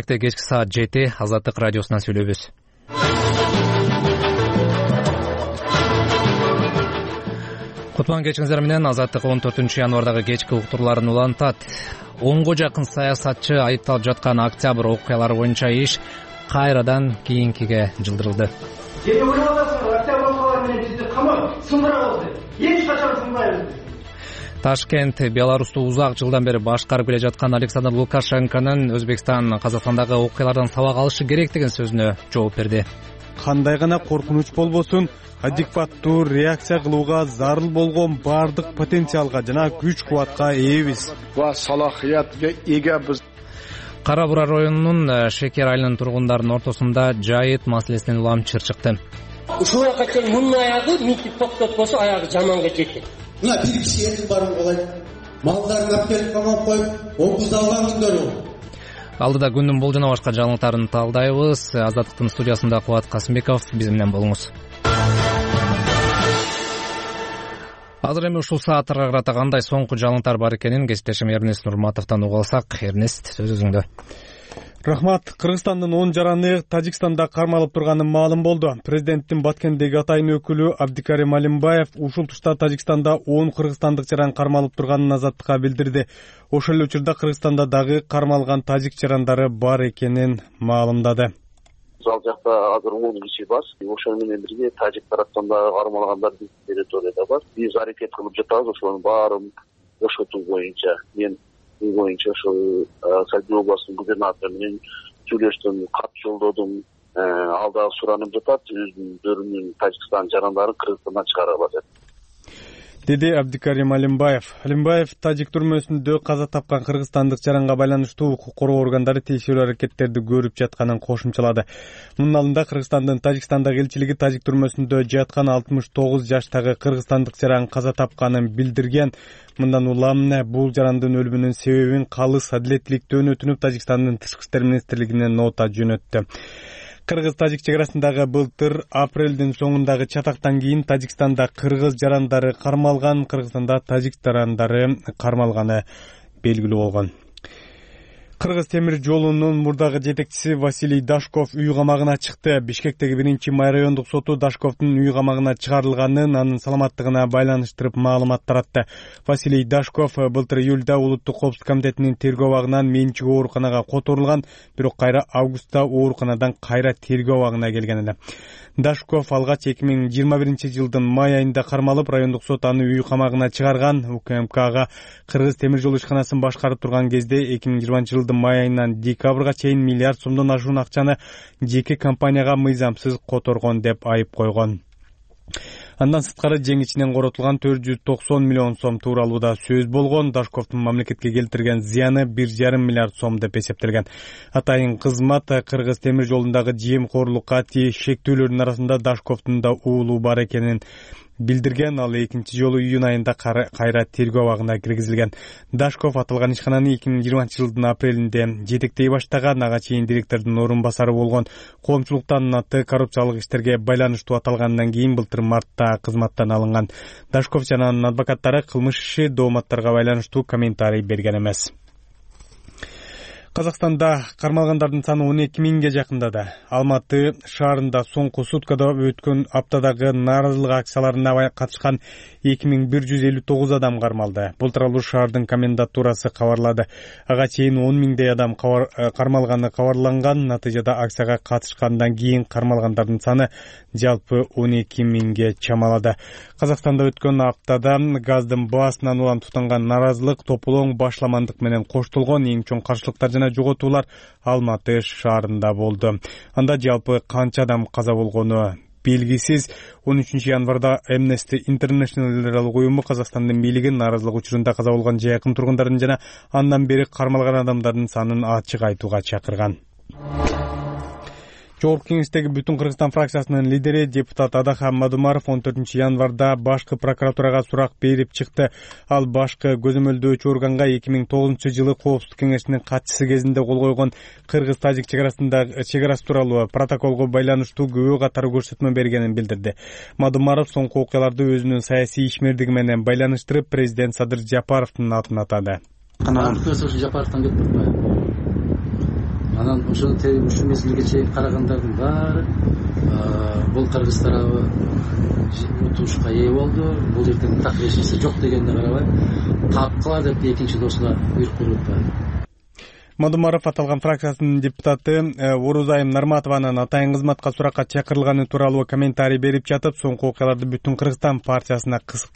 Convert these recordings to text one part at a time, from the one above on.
Кечки саат 7 Азаттык радиосунан сүйлөйбүз. Кутман кечиңиздер менен. Азаттык 14 январдагы кечки уктурларын улантат. 10го жакын саясатчы айыпталып жаткан октябрь окуялары боюнча иш кайрадан кийинкиге жылдырылды. Эми ойлоп атасыңар, октябрь окуялары менен бизди камап сындыра алды. Эч качан сындайбыз. Ташкент Беларусту узак жылдан бери башкарып келе жаткан Александр Лукашенконун Өзбекстан, Казакстандагы окуялардан сабак алышы керек деген сөзүнө жооп берди. Кандай гана коркунуч болбосун, адекваттуу реакция кылууга зарыл болгон бардык потенциалга жана күч-кубатка ээбиз. Ва салахиятка эге биз. Кара Бура районунун Шекер айылынын тургундарынын ортосунда жайыт маселесинен улам чыр чыкты. Ушуга качан мунун аягы митинг токтотпосо аягы жаманга жетет. Мына бир киши эртең барып калайт. Малдарын алып келип камап коюп, окуз алган күндөрү. Алдыда күндүн бул жана башка жаңылыктарын талдайбыз. Азаттыктын студиясында Кубат Касымбеков, биз менен болуңуз. Азыр эми ушул сааттарга карата кандай соңку жаңылыктар бар экенин кесиптешим Эрнест Нурматовдон угуп алсак. Эрнест, сөз өзүңдө. Рахмат. Кыргызстандын 10 жараны Тажикстанда кармалып турганы маалым болду. Президенттин Баткендеги атайын өкүлү Абдикарим Алимбаев ушул тушта Тажикстанда 10 кыргызстандык жаран кармалып турганын Азаттыкка билдирди. Ошол эле учурда Кыргызстанда дагы кармалган тажик жарандары бар экенин маалымдады. Ал жакта азыр 10 киши бар. Ошол менен бирге тажик тараптан да кармалгандар биз территорияда бар. Биз аракет кылып жатабыз ошонун баарын бошотуу боюнча. Мен боюнча ошол Сальдоо областынын губернатору менен сүйлөштүм, кат жолдодум. Ал дагы суранып жатат, өздөрүнүн Тажикстан жарандарын Кыргызстандан чыгарабы деп. Деди Абдикарим Алимбаев. Алимбаев тажик түрмөсүндө каза тапкан кыргызстандык жаранга байланыштуу укук коргоо органдары текшерүү аракеттерди көрүп жатканын кошумчалады. Мунун алдында Кыргызстандын Тажикстандагы элчилиги тажик түрмөсүндө жаткан 69 жаштагы кыргызстандык жаран каза тапканын билдирген. Мындан улам бул жарандын өлүмүнүн себебин калыс адилеттүүлүктөн өтүнүп Тажикстандын тышкы иштер министрлигине нота жөнөттү. Кыргыз-тажик чек арасындагы былтыр апрелдин соңундагы чатактан кийин Тажикстанда кыргыз жарандары кармалган, Кыргызстанда тажик жарандары кармалганы белгилүү болгон. Кыргыз темир жолунун мурдагы жетекчиси Василий Дашков үй камагына чыкты. Бишкектеги 1-май райондук соту Дашковдун үй камагына чыгарылганын, анын саламаттыгына байланыштырып маалымат таратты. Василий Дашков былтыр июлда Улуттук коопсуздук комитетинин тергөө абагынан менчик ооруканага которулган, бирок кайра августта ооруканадан кайра тергөө абагына келген эле. Дашков алгач 2021-жылдын май айында кармалып, райондук сот аны үй камагына чыгарган. УКМКга Кыргыз темир жол ишканасын башкарып турган кезде 2020-жылдын май айынан декабрга чейин миллиард сомдон ашуун акчаны жеке компанияга мыйзамсыз которгон деп айып койгон. Андан сырткары жең ичинен коротулган 490 миллион сом тууралууда сөз болгон. Дашковдун мамлекетке келтирген зыяны 1,5 миллиард сом деп эсептелген. Атайын кызмат Кыргыз темир жолундагы жемкорлукка шектүүлөрдүн арасында Дашковдун да уулу бар экенин билдирген. Ал экинчи жолу июнь айында кайра тергөө абагына киргизилген. Дашков аталган ишкананы 2020-жылдын апрелинде жетектей баштаган, ага чейин директордун орун басары болгон. Коомчулуктан аты коррупциялык иштерге байланыштуу аталгандан кийин былтыр мартта кызматтан алынган. Дашков жана анын адвокаттары кылмыш иши дооматтарга байланыштуу комментарий берген эмес. Казакстанда кармалгандардын саны 12 миңге жакындады. Алматы шаарында соңку суткада өткөн аптадагы нааразылык акцияларына катышкан 2159 адам кармалды. Бул тууралуу шаардын комендатурасы кабарлады. Ага чейин 10 миңдей адам кармалганы кабарланган. Натыйжада акцияга катышкандан кийин кармалгандардын саны жалпы 12 миңге чамалады. Казакстанда өткөн аптада газдын баасынан улам тутанган нааразылык тополоң башламандык менен коштолгон. Эң чоң каршылыктар жана жоготуулар Алматы шаарында болду. Анда жалпы канча адам каза болгону белгисиз. 13 январда Amnesty International уюму Казакстандын бийлигин нааразылык учурунда каза болгон жакын тургундардын жана андан бери кармалган адамдардын санын ачык айтууга чакырган. Жогорку кеңештеги Бүтүн Кыргызстан фракциясынын лидери депутат Адахан Мадумаров 14 январда башкы прокуратурага сурак берип чыкты. Ал башкы көзөмөлдөөчү органга 2009-жылы Коопсуздук кеңешинин катчысы кезинде кол койгон Кыргыз-Тажик чек арасы тууралуу протоколго байланыштуу күбө катары көрсөтмө бергенин билдирди. Мадумаров соңку окуяларды өзүнүн саясий ишмердиги менен байланыштырып, президент Садыр Жапаровдун атын атады. Жапаровдон кетип Анан ушул мезгилге чейин карагандардын баары бул кыргыз тарабы утушка ээ болду. Бул жерден так эч жок дегенди карабай тапкыла деп экинчи досуна буйрук берип атпайбы. Мадумаров аталган фракциясынын депутаты Орузайым Нарматованын атайын кызматка суракка чакырылганы тууралуу комментарий берип жатып, соңку окуяларды Бүтүн Кыргызстан партиясына кысым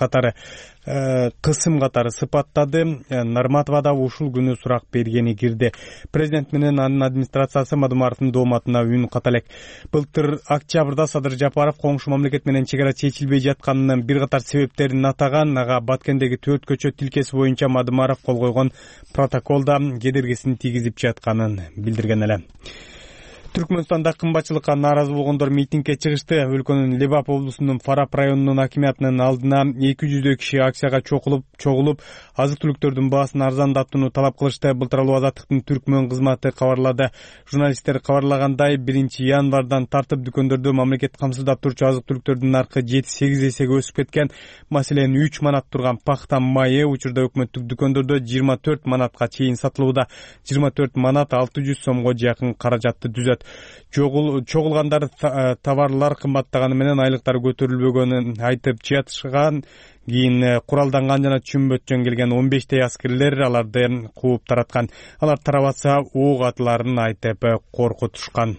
катары сыпаттады. Нарматова да ушул күнү сурак бергени кирди. Президент менен анын администрациясы Мадумаровдун дооматына үн ката элек. Былтыр октябрда Садыр Жапаров коңшу мамлекет менен чек ара чечилбей жатканынын бир катар себептерин атаган. Ага Баткендеги 4 көчөт тилкеси боюнча Мадумаров кол койгон протоколда кедергисин тийгизип жатканын билдирген эле. Түркмөнстанда кымбатчылыкка нааразы болгондор митингге чыгышты. Өлкөнүн Лебап облусунун Фарап районунун акимиятынын алдына 200 киши акцияга чогулуп, азык-түлүктөрдүн баасын арзандатууну талап кылышты. Былтыр Азаттыктын Түркмөн кызматы кабарлады. Журналисттер кабарлагандай, 1-январдан тартып дүкөндөрдө мамлекет камсыздап турчу азык-түлүктөрдүн наркы 7-8 эсеге өсүп кеткен. Маселен, 3 манат турган пахта майы учурда өкмөттүк дүкөндөрдө 24 манатка чейин сатылууда. 24 манат 600 сомго жакын каражатты түзөт. Чогулгандар товарлар кымбаттаганы менен айлыктар көтөрүлбөгөнүн айтып жатышкан. Кийин куралданган жана чүмбөтчөн келген 15 аскерлер аларды кууп тараткан. Алар тарабатса ок атыларын айтып коркутушкан.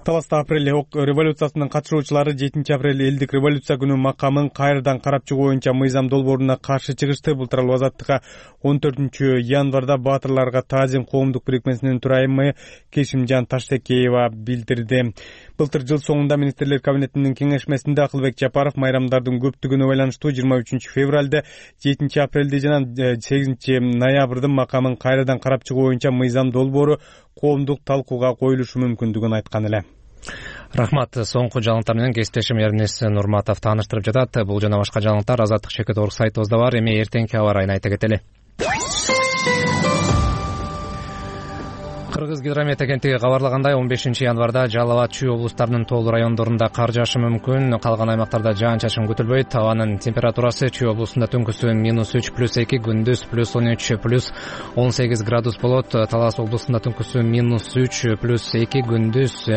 Таласта апрель революциясынын катышуучулары 7-апрель элдик революция күнү макамын кайрадан карап чыгуу боюнча мыйзам долбооруна каршы чыгышты. Былтыр Азаттыкка 14-январда Баатырларга таазим коомдук бирикмесинин төрайымы Кешимжан Таштекеева билдирди. Былтыр жыл соңунда министрлер кабинетинин кеңешмесинде Акылбек Жапаров майрамдардын көптүгүнө байланыштуу 23-февралда, 7-апрелде жана 8-ноябрда макамын кайрадан карап чыгуу боюнча мыйзам долбоору коомдук талкууга коюлушу мүмкүндүгүн айткан эле. Рахмат. Соңку жаңылыктар менен кесиптешим Эрнес Нурматов тааныштырып жатат. Бул жана башка жаңылыктар Азаттык.org сайтыбызда бар. Эми эртеңки аба ырайын айта кетели. Кыргыз гидромет агенттиги кабарлагандай, 15-январда Жалал абад, Чүй облустарынын тоолуу райондорунда кар жаашы мүмкүн. Калган аймактарда жаан-чачын күтүлбөйт. Абанын температурасы Чүй облусунда түнкүсүн -3+2, күндүз +13+18 градус болот. Талас облусунда түнкүсүн -3+2, күндүз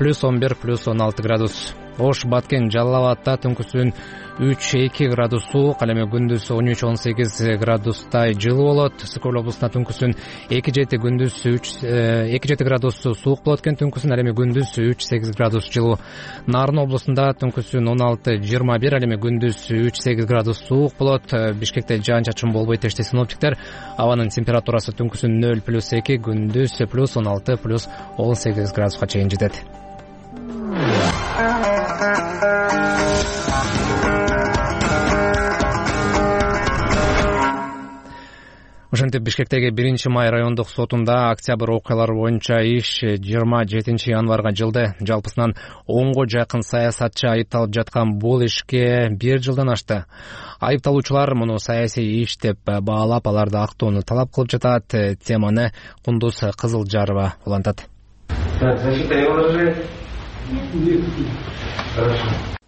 +11+16 градус. Ош, Баткен, Жалал абадта түнкүсүн 3-2 градус суук, ал эми күндүз 13-18 градустай жылуу болот. Сыкөл облусунда түнкүсүн 2-7, күндүз 2-7 градус суук болот экен, түнкүсүн ал эми күндүз 3-8 градус жылуу. Нарын облусунда түнкүсүн 16-21, ал эми күндүз 3-8 градус суук болот. Бишкекте жаан-чачын болбойт дешти синоптиктер. Абанын температурасы түнкүсүн 0+2, күндүз +16+18 градуска чейин жетет. Ошентип Бишкектеги 1-май райондук сотунда октябрь окуялары боюнча иш 27-январга жылды. Жалпысынан 10го жакын саясатчы айыпталып жаткан бул ишке 1 жылдан ашты. Айыпталуучулар муну саясий иш деп баалап, аларды актоону талап кылып жатат. Теманы Кундуз Кызылжарова улантат.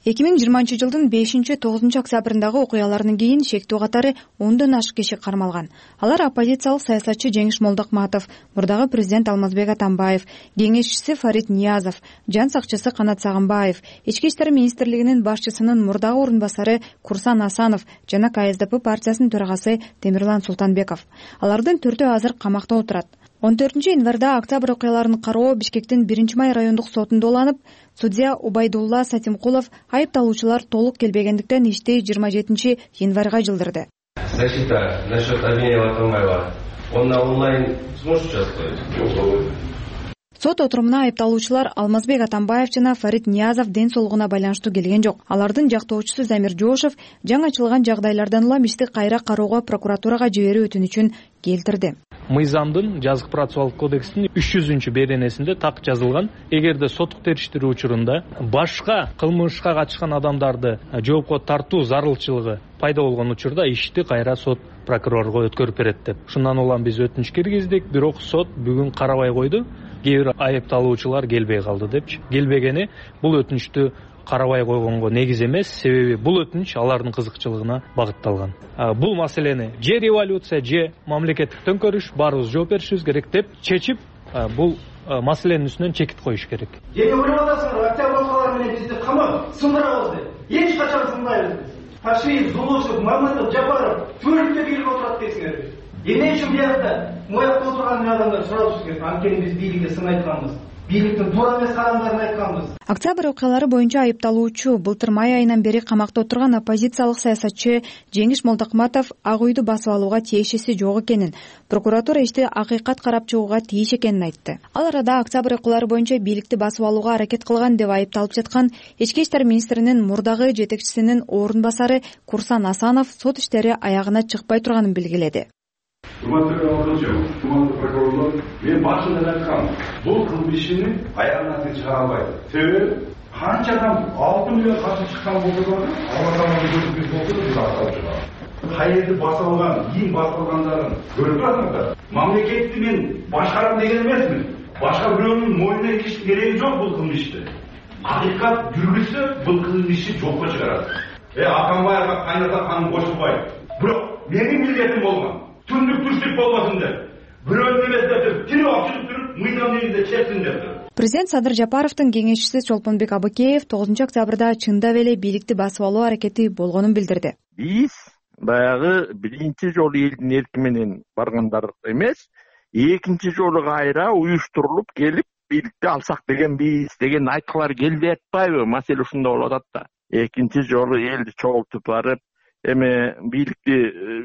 2020 жылдын 5-9 октябрындагы окуялардан кийин шектүү катары 10дон ашык киши кармалган. Алар оппозициялык саясатчы Жеңиш Молдокматов, мурдагы президент Алмазбек Атамбаев, кеңешчиси Фарид Ниязов, жан сакчысы Канат Сагынбаев, Ички иштер министрлигинин башчысынын мурдагы орун басары Курсан Асанов жана КСДП партиясынын төрагасы Темирлан Султанбеков. Алардын 4-өө азыр камакта отурат. 14-январда октябрь окуяларын кароо Бишкектин 1-май райондук сотунда уланып, судья Убайдулла Сатимкулов айыпталуучулар толук келбегендиктен ишти 27-январга жылдырды. Защита насчет обвинения Атамбаева. Он на онлайн сможет участвовать? Сот отурумуна айыпталуучулар Алмазбек Атамбаев жана Фарид Ниязов ден соолугуна байланыштуу келген жок. Алардын жактоочусу Замир Жошев жаңы ачылган жагдайлардан улам ишти кайра кароого прокуратурага жиберүү өтүнүчүн келтирди. Мыйзамдын жазык процессуалдык кодексинин 300 беренесинде так жазылган, эгерде соттук териштирүү учурунда башка кылмышка катышкан адамдарды жоопко тартуу зарылчылыгы пайда болгон учурда ишти кайра сот прокурорго өткөрүп берет деп. Шундан улам биз өтүнүч киргиздик, бирок сот бүгүн карабай койду. Кээ бир айыпталуучулар келбей калды депчи. Келбегени бул өтүнүчтү карабай койгонго негиз эмес, себеби бул өтүнүч алардын кызыкчылыгына багытталган. Бул маселени же революция, же мамлекеттик төңкөрүш баарыбыз жооп беришибиз керек деп чечип, бул маселенин үстүнөн чекит коюш керек. Эми ойлоп атасыңар, октябрь окуялары менен бизди камап сындырабыз деп. Эч качан сындайбыз. Ташиев, Зулушев, Мамытов, Жапаров төрүктө бийлик отурат дейсиңер. Эмне үчүн биякта моякта отурган адамдар суралыш керек. Анткени биз бийликке сын айтканбыз. Бийликтин туура эмес кадамдарын айтканбыз. Октябрь окуялары боюнча айыпталуучу былтыр май айынан бери камакта отурган оппозициялык саясатчы Жеңиш Молдокматов Ак үйдү басып алууга тиешеси жок экенин, прокуратура ишти акыйкат карап чыгууга тийиш экенин айтты. Ал арада Октябрь окуялары боюнча бийликти басып алууга аракет кылган деп айыпталып жаткан Ички иштер министринин мурдагы жетекчисинин орун басары Курсан Асанов сот иштери аягына чыкпай турганын белгиледи. Кумандуу прокурорлор, мен башында айткам, бул кылмышны аягына чыгара албайт. Себеби канчадан 6 миллион каршы чыккан болсо да, алардын көзүбүз болду деп аталып чыгат. Кайерди басып алган, кийин басып алгандарын көрүп турасыңдар. Мамлекетти мен башкарам деген эмесмин. Башка бирөөнүн мойнуна кириштин кереги жок бул кылмышты. Акыйкат жүргүзсө бул кылмышты жокко чыгарат. Аканбаевга кайната канын кошулбайт. Бирок менин милдетим болгон. Түндүк түштүк болбосун деп. Бирөөнүн эмес деп тирип алып чыгып туруп, мыйдан негизде чексин деп. Президент Садыр Жапаровдун кеңешчиси Чолпонбек Абыкеев 9 октябрда чындап эле бийликти басып алуу аракети болгонун билдирди. Биз баягы биринчи жолу элдин эрки менен баргандар эмес, экинчи жолу кайра уюштурулуп келип бийликти алсак деген айткылар келбей атпайбы? Маселе ушунда болуп атат да. Экинчи жолу элди чогултуп барып, эми бийликти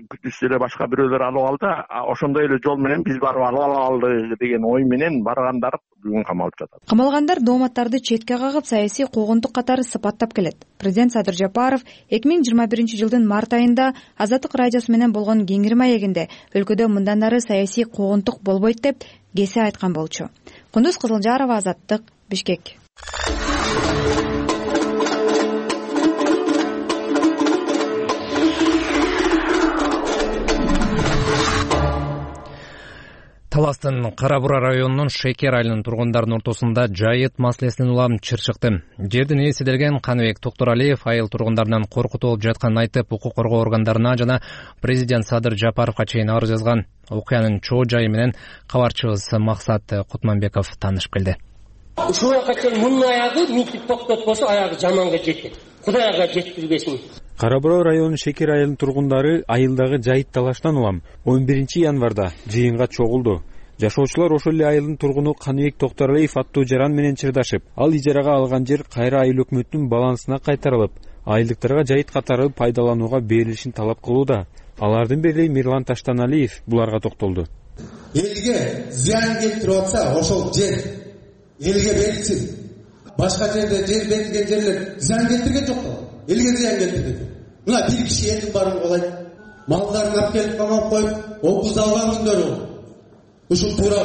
күтүшсө эле башка бирөөлөр алып алды, ошондой эле жол менен биз барып алып алалы деген ой менен баргандар бүгүн камалып жатат. Камалгандар дооматтарды четке кагып, саясий куугунтук катары сыпаттап келет. Президент Садыр Жапаров 2021 жылдын март айында Азаттык радиосу менен болгон кеңири маегинде өлкөдө мындан ары саясий куугунтук болбойт деп кесе айткан болчу. Кундуз Кызылжарова, Азаттык, Бишкек. Таластын Кара Бура районунун Шекер айылынын тургундарынын ортосунда жайыт маселесинен улам чыр чыкты. Жердин ээси делген Каныбек Токтуралиев айыл тургундарынан коркутуп алып жатканын айтып, укук коргоо органдарына жана президент Садыр Жапаровго чейин арыз жазган. Окуянын чоо жайы менен кабарчыбыз Максат Кутманбеков таанышып келди. Ушуга чейин мунун аягы митинг токтотпосо аягы жаманга жетет. Кудайга жеткирбесин. Кара Бура районунун Шекер айылынын тургундары айылдагы жайыт талаштан улам 11 январда жыйынга чогулду. Жашоочулар ошол эле айылдын тургуну Каныбек Токтуралиев аттуу жаран менен чырдашып, ал ижарага алган жер кайра айыл өкмөтүнүн балансына кайтарылып, айылдыктарга жайыт катары пайдаланууга берилишин талап кылууда. Алардын бири Мирлан Таштаналиев буларга токтолду. Элге зыян келтирип атса, ошол жер элге берилсин. Башка жерде жер берилген жерлер зыян келтирген жок да. Элге зыян келтирген. Мына бир киши элдин баарын колойт. Малдарын алып келип камап коюп, облусту алган күндөрү болду. Ушул туура,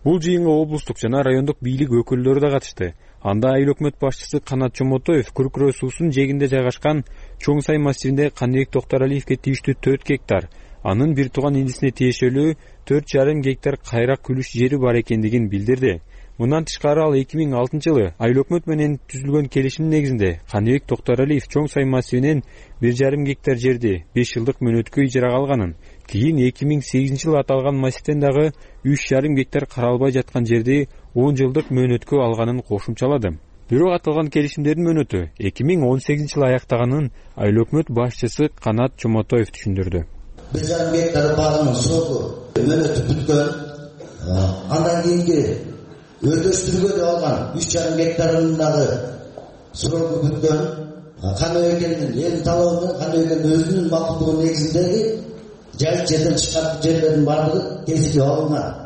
Бул жыйынга облустук жана райондук бийлик өкүлдөрү да катышты. Анда айыл өкмөт башчысы Канат Чомотоев Күркүрө суусунун жээгинде жайгашкан Чоң Сай массивинде Каныбек Токтуралиевге тийиштүү 4 гектар, анын бир тууган индисине тиешелүү 4,5 гектар кайрак күлүш жери бар экендигин билдирди. Мындан тышкары ал 2006 жылы айыл өкмөт менен түзүлгөн келишим негизинде Каныбек Токтуралиев Чоң Сай массивинен 1,5 гектар жерди 5 жылдык мөөнөткө ижарага алганын, кийин 2008 жылы аталган массивден дагы 3,5 гектар каралбай жаткан жерди 10 жылдык мөөнөткө алганын кошумчалады. Бирок аталган келишимдердин мөөнөтү 2018 жылы аяктаганын айыл өкмөт башчысы Канат Чомотоев түшүндүрдү. 1,5 гектар багынын сроку мөөнөтү бүткөн. Андан кийинки өтөштүргө алган 3,5 гектарынын дагы сроку бүткөн. Каныбектин элдин талабы, Каныбектин өзүнүн макулдугу негизиндеги жайыт жерден чыккан жерлердин баардыгы кесип алынган.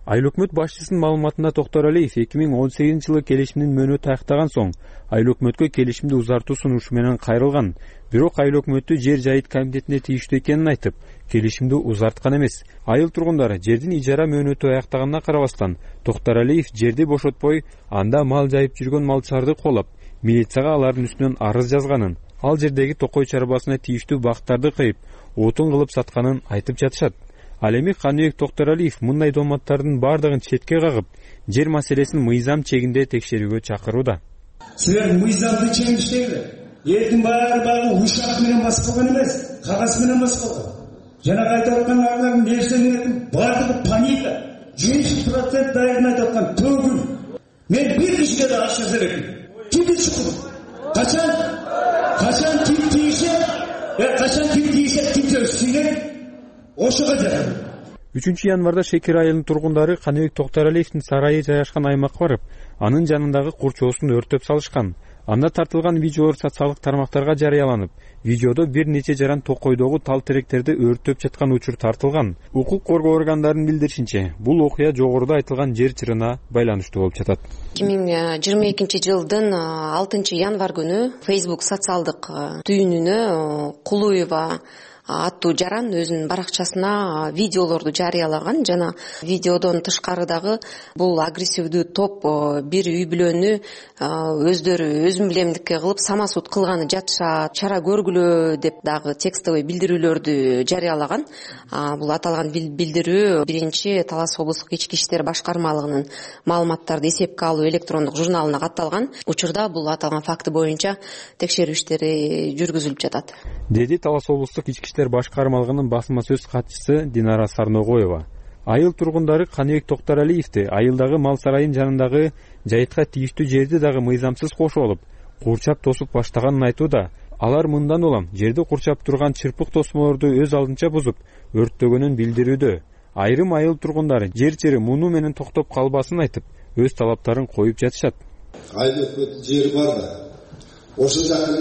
Айыл өкмөт башчысынын маалыматында Токтуралиев 2018 жылы келишимдин мөөнөтү аяктаган соң айыл өкмөткө келишимди узартуу сунушу менен кайрылган. Бирок айыл өкмөтү жер жайыт комитетине тийиштүү экенин айтып, келишимди узарткан эмес. Айыл тургундары жердин ижара мөөнөтү аяктаганына карабастан, Токтуралиев жерди бошотпой, анда мал жайып жүргөн малчыларды колоп, милицияга алардын үстүнөн арыз жазганын, ал жердеги токой чарбасына тийиштүү бактарды кыйып, отун кылып сатканын айтып жатышат. Ал эми Каныбек Токтуралиев мындай дооматтардын бардыгын четке кагып, жер маселесин мыйзам чегинде текшерүүгө чакырууда. Силер мыйзамды чеңиштеңер. Элдин баары ушак менен басып калган эмес, кагаз менен басып калган. Жана айтып аткан нерселердин баардыгы паника. 100% дайын айтып аткан төгүл. Мен бир кишиге да акча берем. Кимди чукун? Качан ким тийишет, ким сөзсүнет? Ошого жарам. 3-январда Шекер айылынын тургундары Каныбек Токтаралиевдин сарайы жайгашкан аймакка барып, анын жанындагы курчоосун өрттөп салышкан. Анда тартылган видеолор социалдык тармактарга жарыяланып, видеодо бир нече жаран токойдогу тал теректерди өрттөп жаткан учур тартылган. Укук коргоо органдарынын билдиришинче, бул окуя жогоруда айтылган жер чырына байланыштуу болуп жатат. 2022-жылдын 6-январ күнү Facebook социалдык түйүнүнө Кулуева аттуу жаран өзүнүн баракчасына видеолорду жарыялаган. Жана видеодон тышкары дагы бул агрессивдүү топ бир үй бүлөнү өздөрү өзүмбилемдикке кылып самосуд кылганы жатышат, чара көргүлө деп дагы текстовый билдирүүлөрдү жарыялаган. Бул аталган билдирүү 1-Талас облустук ички иштер башкармалыгынын маалыматтарды эсепке алуу электрондук журналына катталган. Учурда бул аталган факты боюнча текшерүү иштери жүргүзүлүп жатат, деди Талас облустук ички иштер башкармалыгынын басма сөз катчысы Динара Сарногоева. Айыл тургундары Каныбек Токтаралиевди айылдагы мал сарайын жанындагы жайытка тийиштүү жерди дагы мыйзамсыз кошуп алып, курчап тосуп баштаганын айтууда. Алар мындан улам жерди курчап турган чырпык тосмолорду өз алдынча бузуп, өрттөгөнүн билдирүүдө. Айрым айыл тургундары жер чыры муну менен токтоп калбасын айтып, өз талаптарын коюп жатышат. Айыл өкмөттүн жери бар да. Ошол жакка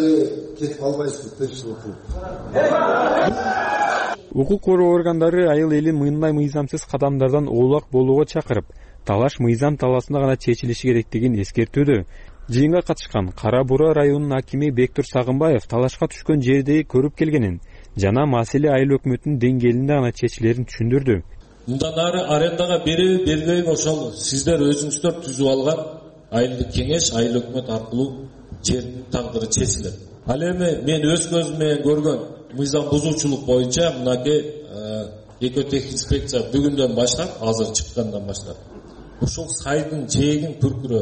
кетип калбайсызбы, тынччылык кылып. Укук коргоо органдары айыл элин мындай мыйзамсыз кадамдардан оолак болууга чакырып, талаш мыйзам талаасында гана чечилиши керектигин эскертүүдө. Жыйынга катышкан Кара Бура районунун акими Бектур Сагынбаев талашка түшкөн жерди көрүп келгенин жана маселе айыл өкмөтүнүн деңгээлинде гана чечилерин түшүндүрдү. Мындан ары арендага береби бербейби ошол сиздер өзүңүздөр түзүп алган айылдык кеңеш, айыл өкмөт аркылуу жер тагдыры чечилет. Ал эми мен өз көзүм менен көргөн мыйзам бузуучулук боюнча мынакей экотехинспекция бүгүндөн баштап, азыр чыккандан баштап ушул сайдын жээгин Түркүрө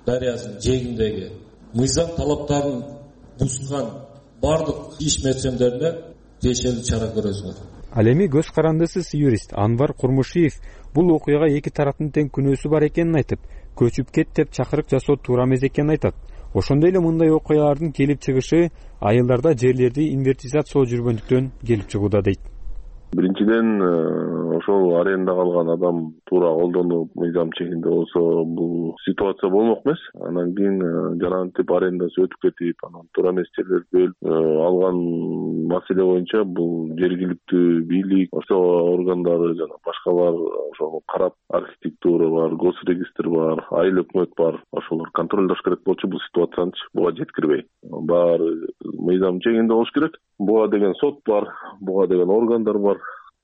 дарыясынын жээгиндеги мыйзам талаптарын бузган бардык иш мерчемдерине тиешелүү чара көрөсүңөр. Ал эми көз карандысыз юрист Анвар Курмушиев бул окуяга эки тараптын тең күнөөсү бар экенин айтып, көчүп кет деп чакырык жасоо туура эмес экенин айтат. Ошондой эле мындай окуялардын келип чыгышы айылдарда жерлерди инвентаризациялоо жүргөндүктөн келип чыгууда дейт. Биринчиден ошол арендага алган адам туура колдонуп мыйзам чегинде болсо бул ситуация болмок эмес. Анан кийин жарантип арендасы өтүп кетип, анан туура эмес жерлерди бөлүп алган маселе боюнча бул жергиликтүү бийлик, ошо органдары жана башкалар ошону карап, архитектура бар, госрегистр бар, айыл өкмөт бар, ошолор контролдош керек болчу бул ситуацияны буга жеткирбей. Баары мыйзам чегинде болуш керек. Буга деген сот бар, буга деген органдар бар.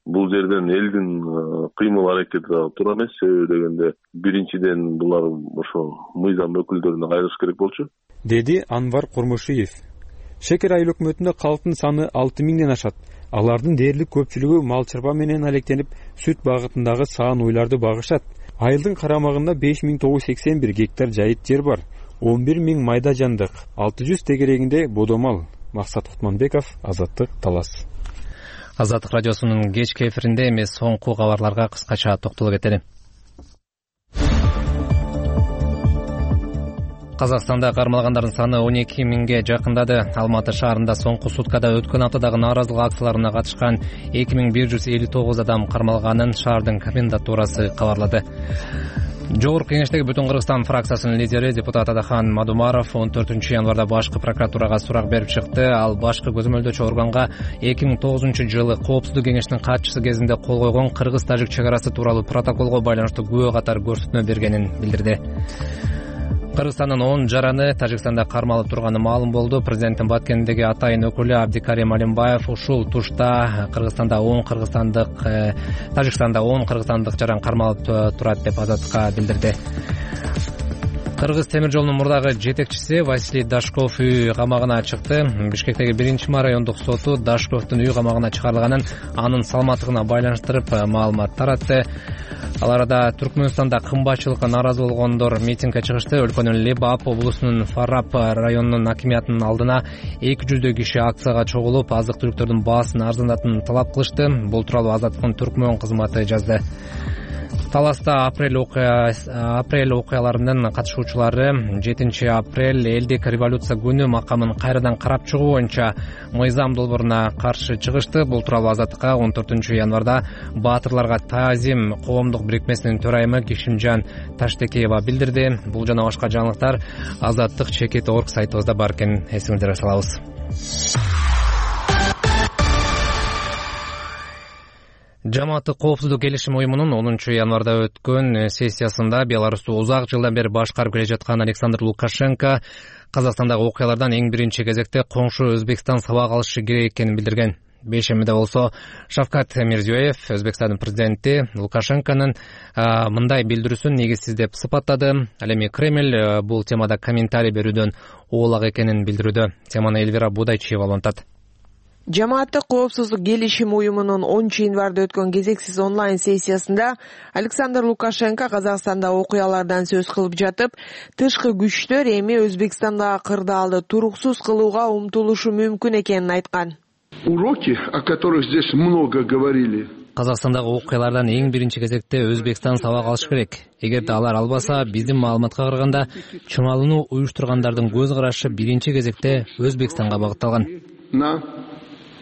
Бул жерден элдин кыймыл аракети туура эмес. Себеби дегенде биринчиден булар ошо мыйзам өкүлдөрүнө кайрылыш керек болчу, деди Анвар Курмушиев. Шекер айыл өкмөтүндө калктын саны 6000ден ашат. Алардын дээрлик көпчүлүгү мал чарба менен алектенип, сүт багытындагы саан уйларды багышат. Айылдын карамагында 5981 гектар жайыт жер бар. 11000 майда жандык, 600 тегерегинде бодомал. Максат Кутманбеков, Азаттык, Талас. Азаттык радиосунун кечки эфиринде эмес соңку кабарларга кыскача токтолуп кетели. Казакстанда кармалгандардын саны 12000ге жакындады. Алматы шаарында соңку суткада өткөн аптадагы нааразылык акцияларына катышкан 2159 адам кармалганын шаардын комендатурасы кабарлады. Жогорку кеңештеги Бүтүн Кыргызстан фракциясынын лидери депутат Адахан Мадумаров 14-январда башкы прокуратурага сурак берип чыкты. Ал башкы көзөмөлдөөчү органга 2009-жылы Коопсуздук кеңештин катчысы кезинде кол койгон кыргыз-тажик чек арасы тууралуу протоколго байланыштуу күбө катары көрсөтмө бергенин билдирди. Кыргызстандын 10 жараны Тажикстанда кармалып турганы маалым болду. Президенттин Баткендеги атайын өкүлү Абдикарим Алимбаев ушул тушта Кыргызстанда 10 кыргызстандык, Тажикстанда 10 кыргызстандык жаран кармалып турат деп Азаттыкка билдирди. Кыргыз темир жолунун мурдагы жетекчиси Василий Дашков үй камагына чыкты. Бишкектеги 1-ма райондук соту Дашковдун үй камагына чыгарылганын, анын саламаттыгына байланыштырып маалымат таратты. Ал арада Түркмөнстанда кымбатчылыкка нааразы болгондор митингге чыгышты. Өлкөнүн Лебап облусунун Фарап районунун акимиятынын алдына 200 киши акцияга чогулуп, азык-түлүктөрдүн баасын арзандатууну талап кылышты. Бул тууралуу Азаттыктын Түркмөн кызматы жазды. Таласта апрель окуяларынын катышуучулары 7 апрель элдик революция күнү макамын кайрадан карап чыгуу боюнча мыйзам долбооруна каршы чыгышты. Бул тууралуу Азаттыкка 14 январда Баатырларга таазим коомдук бирикмесинин төрайымы Кишимжан Таштекеева билдирди. Бул жана башка жаңылыктар Азаттык чекит орг сайтыбызда бар экенин эсиңиздерге салабыз. Жамааттык коопсуздук келишим уюмунун 10 январда өткөн сессиясында Беларусьту узак жылдан бери башкарып келе жаткан Александр Лукашенко Казакстандагы окуялардан эң биринчи кезекте коңшу Өзбекстан сабак алышы керек экенин билдирген. Бейшембиде болсо Шавкат Мирзиёев, Өзбекстандын президенти, Лукашенконун мындай билдирүүсүн негизсиз деп сыпаттады. Ал эми Кремль бул темада комментарий берүүдөн оолак экенин билдирүүдө. Теманы Эльвира Будайчиева улантат. Жамааттык коопсуздук келишим уюмунун 10 январда өткөн кезексиз онлайн сессиясында Александр Лукашенко Казакстанда окуялардан сөз кылып жатып, тышкы күчтөр эми Өзбекстандагы кырдаалды туруксуз кылууга умтулушу мүмкүн экенин айткан. Уроки, о которых здесь много говорили. Казакстандагы окуялардан эң биринчи кезекте Өзбекстан сабак алыш керек. Эгерде алар албаса, биздин маалыматка караганда, чымалууну уюштургандардын көз карашы биринчи кезекте Өзбекстанга багытталган.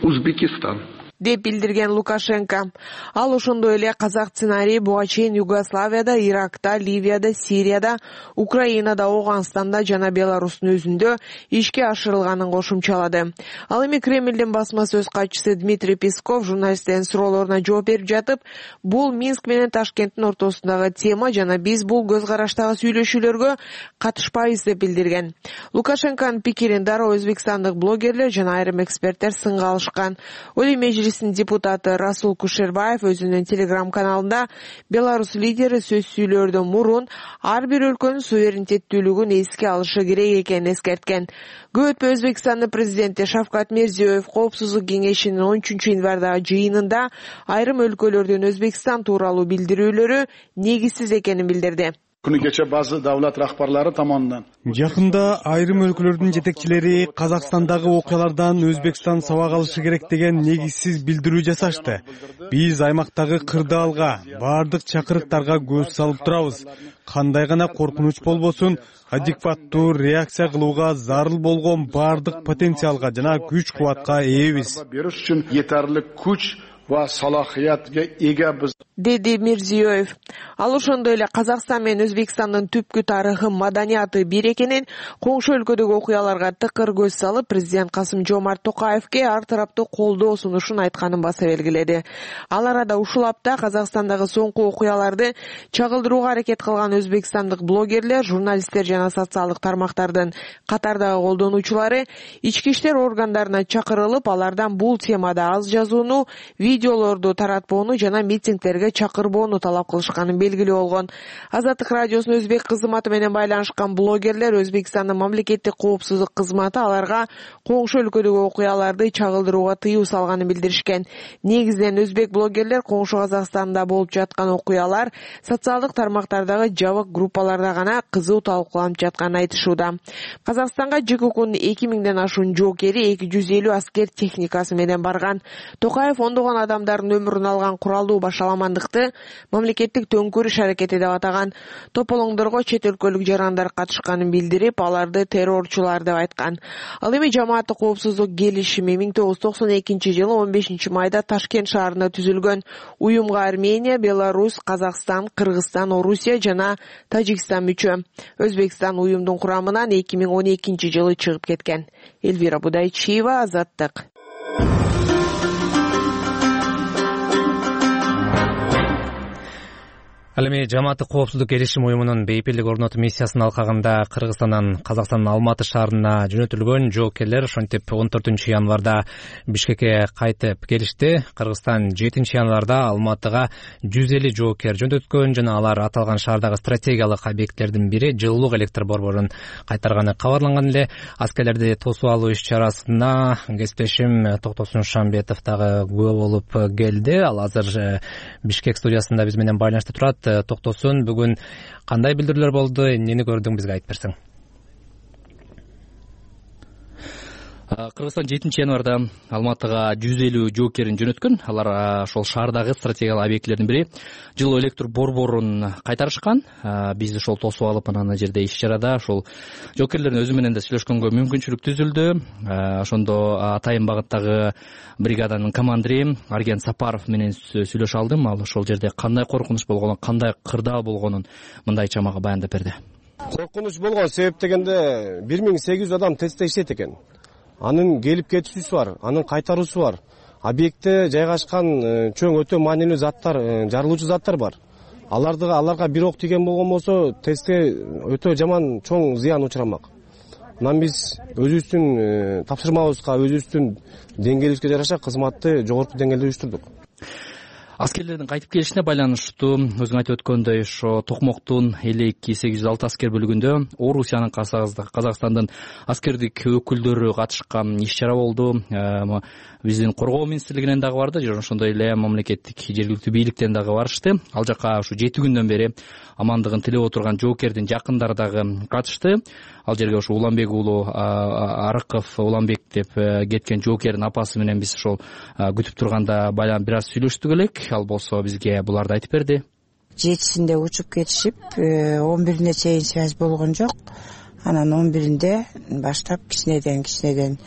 Узбекистан деп билдирген Лукашенко. Ал ошондой эле казак сценарий буга чейин Югославияда, Иракта, Ливияда, Сирияда, Украинада, Ауганстанда жана Беларустун өзүндө ишке ашырылганын кошумчалады. Ал эми Кремлдин басма сөз катчысы Дмитрий Песков журналисттердин суроолоруна жооп берип жатып, бул Минск менен Ташкенттин ортосундагы тема жана биз бул көз караштагы сүйлөшүүлөргө катышпайбыз деп билдирген. Лукашенконун пикирин дароо өзбекстандык блогерлер жана айрым эксперттер сынга алышкан. Олий Мejlis депутаты Расул Кушербаев өзүнүн телеграм-каналында Беларусь лидери сөз сүйлөөрдөн мурун ар бир өлкөнүн суверенитеттүүлүгүн эске алышы керек экенин эскерткен. Көп өтпөй Өзбекстандын президенти Шавкат Мирзиёев Коопсуздук кеңешинин 13 январдагы жыйынында айрым өлкөлөрдүн Өзбекстан тууралуу билдирүүлөрү негизсиз экенин билдирди. Күнү кече базы давлат рахбарлары тамамынан жакында айрым өлкөлөрдүн жетекчилери Казакстандагы окуялардан Өзбекстан сабак алышы керек деген негизсиз билдирүү жасашты. Биз аймактагы кырдаалга, бардык чакырыктарга көз салып турабыз. Кандай гана коркунуч болбосун, адекваттуу реакция кылууга зарыл болгон бардык потенциалга жана күч-кубатка ээбиз. Бериш үчүн жетерлик күч ва салахиятка эгебиз, деди Мирзиёев. Ал ошондой эле Казакстан менен Өзбекстандын түпкү тарыхы, маданияты бир экенин, коңшу өлкөдөгү окуяларга тыкыр көз салып, президент Касым-Жомарт Токаевке ар тараптуу колдоо сунушун айтканын баса белгиледи. Ал арада ушул апта Казакстандагы соңку окуяларды чагылдырууга аракет кылган өзбекстандык блогерлер, журналисттер жана социалдык тармактардын катардагы колдонуучулары ички иштер органдарына чакырылып, алардан бул темада аз жазууну, видеолорду таратпоону жана митингдерге чакырбоону талап кылышканын белгилүү болгон. Азаттык радиосунун өзбек кызматы менен байланышкан блогерлер Өзбекстандын мамлекеттик коопсуздук кызматы аларга коңшу өлкөдөгү окуяларды чагылдырууга тыюу салганын билдиришкен. Негизинен өзбек блогерлер коңшу Казакстанда болуп жаткан окуялар социалдык тармактардагы жабык группаларда гана кызуу талкууланып жатканын айтышууда. Казакстанга ЖККнын 2000ден ашуун жоокери 250 аскер техникасы менен барган. Токаев ондогон адамдардын өмүрүн алган куралдуу башаламандыкты мамлекеттик төңкүрүш аракети деп атаган. Тополоңдорго чет өлкөлүк жарандар катышканын билдирип, аларды террорчулар деп айткан. Ал эми жамааттык коопсуздук келишими 1992-жылы 15 майда Ташкент шаарында түзүлгөн. Уюмга Армения, Беларусь, Казакстан, Кыргызстан, Орусия жана Тажикстан мүчө. Өзбекстан уюмдун курамынан 2012-жылы чыгып кеткен. Эльвира Будайчиева, Азаттык. Ал эми Жамааттык коопсуздук келишим уюмунун бейпилдик орнотуу миссиясынын алкагында Кыргызстандан Казакстандын Алматы шаарына жөнөтүлгөн жоокерлер ошентип 14 январда Бишкекке кайтып келишти. Кыргызстан 7 январда Алматыга 150 жоокер жөнөткөн жана алар аталган шаардагы стратегиялык объекттердин бири жылуулук электр борборун кайтарганы кабарланган эле. Аскерлерди тосуп алуу иш-чарасына кесиптешим Токтосун Шамбетов дагы күбө болуп келди. Ал азыр Бишкек студиясында биз менен байланышта турат. Токтосун, бүгүн кандай билдирүүлөр болду, эмнени көрдүң, бизге айтып берсең. Кыргызстан 7 январда Алматыга 150 жоокерин жөнөткөн. Алар ошол шаардагы стратегиялык объектилердин бири жылуу электр борборун кайтарышкан. Биз ошол тосуп алып, анан жерде иш-чарада ошол жоокерлердин өзү менен да сүйлөшкөнгө мүмкүнчүлүк түзүлдү. Ошондо Атайын багыттагы бригаданын командири Арген Сапаров менен сүйлөшө алдым. Ал ошол жерде кандай коркунуч болгонун, кандай кырдаал болгонун мындайча мага баяндап берди. Коркунуч болгон себеп дегенде 1800 адам тестте иштейт экен. Анын келип кетүүсү бар, анын кайтаруусу бар. Объектте жайгашкан чоң өтө маанилүү заттар, жарылуучу заттар бар. Аларга бир ок тийген болгон болсо, тестте өтө жаман чоң зыян учурамак. Анан биз өзүбүздүн тапшырмабызга, өзүбүздүн деңгээлибизге жараша кызматты жогорку деңгээлде уюштурдук. Аскерлердин кайтып келишине байланыштуу өзүң айтып өткөндөй, ошо Токмоктун 52-806 аскер бөлүгүндө Орусиянын, Казакстандын аскердик өкүлдөрү катышкан иш-чара болду. Биздин коргоо министрлигинен дагы барды, жана ошондой эле мамлекеттик жергиликтүү бийликтен дагы барышты. Ал жака ушу 7 күндөн бери амандыгын тилеп отурган жоокердин жакындары дагы катышты. Ал жерге ушу Уланбек уулу Арыков Уланбек деп кеткен жоокердин апасы менен биз ошол күтүп турганда бир аз сүйлөштүк элек. Ал болсо бизге буларды айтып берди. 7-синде учуп кетишип, 11-ине чейин связь болгон жок. Анан 11-инде баштап кичинеден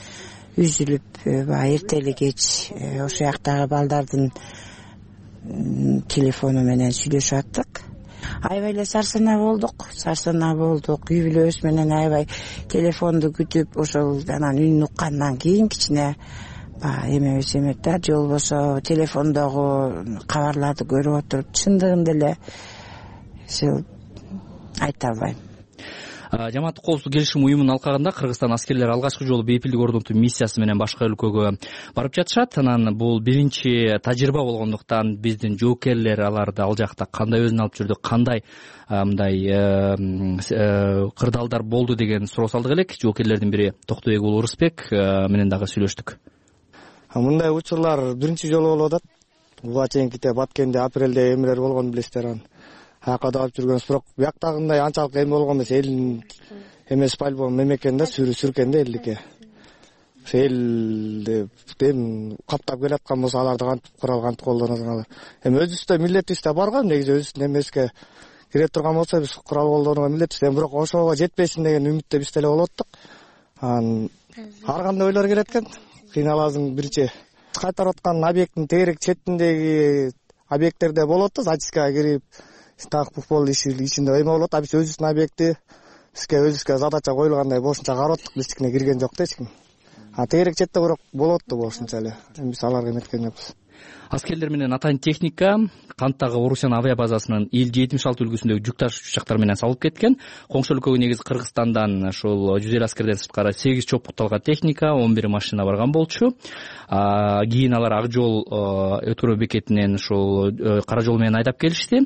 үзүлүп, эртели кеч ошол жактагы балдардын телефону менен сүйлөшүп аттык. Аябай эле сарсанаа болдук. Үй бүлөбүз менен аябай телефонду күтүп, ошол анан үнүн уккандан кийин кичине эмебиз эмет да, же болбосо телефондогу кабарларды көрүп отуруп чындыгында эле айта албайм. Жамааттык коопсуздук келишим уюмунун алкагында Кыргызстан аскерлери алгачкы жолу бейпилдик орнотуу миссиясы менен башка өлкөгө барып жатышат. Анан бул биринчи тажрыйба болгондуктан биздин жоокерлер аларды ал жакта кандай өзүн алып жүрдү, кандай мындай кырдаалдар болду деген суроо салдык элек. Жоокерлердин бири Токтобек уулу Рысбек менен дагы сүйлөштүк. Мындай учурлар биринчи жолу болуп атат. Буга чейинките Баткенде апрелде эмелер болгон билесиздер. Аяка да алып жүргөн бирок бияктагындай анчалык эме болгон эмес. Элдин эмес по-любому мемекен да сүркенде элдике. Элди каптап келаткан болсо аларды кантип кантип колдоносуңар. Эми өзүбүздө милдетибизде бар го, негизи өзүбүздүн эмеске кире турган болсо биз курал колдонууга милдетибиз. Бирок ошого жетпесин деген үмүттө биз деле болуп аттык. Ар кандай ойлор келет экен. Кыйналасың биринчи кайтарып аткан объекттин тегерек четиндеги объекттерде болот да, зачисткага кирип так футбол ичинде эме болот. Биз өзүбүздүн объекти өзүбүзгө задача коюлгандай бошунча карап аттык, биз эчкине кирген жок да эчким. Тегерек четте бирок болот да бошунча эле. Эми биз аларга эметкен жокпуз. Аскерлер менен Атайын техника Канттагы Орусиян авиабазасынын Ил-76 үлгүсүндөгү жүк ташуучу учактар менен салып кеткен. Коңшу өлкөгө негизи Кыргызстандан ошол 150 аскерден сырткары 8 чопукталган техника, 11 машина барган болчу. Кийин алар Ак жол өткөрүү бекетинен ошол Кара жол менен айдап келишти.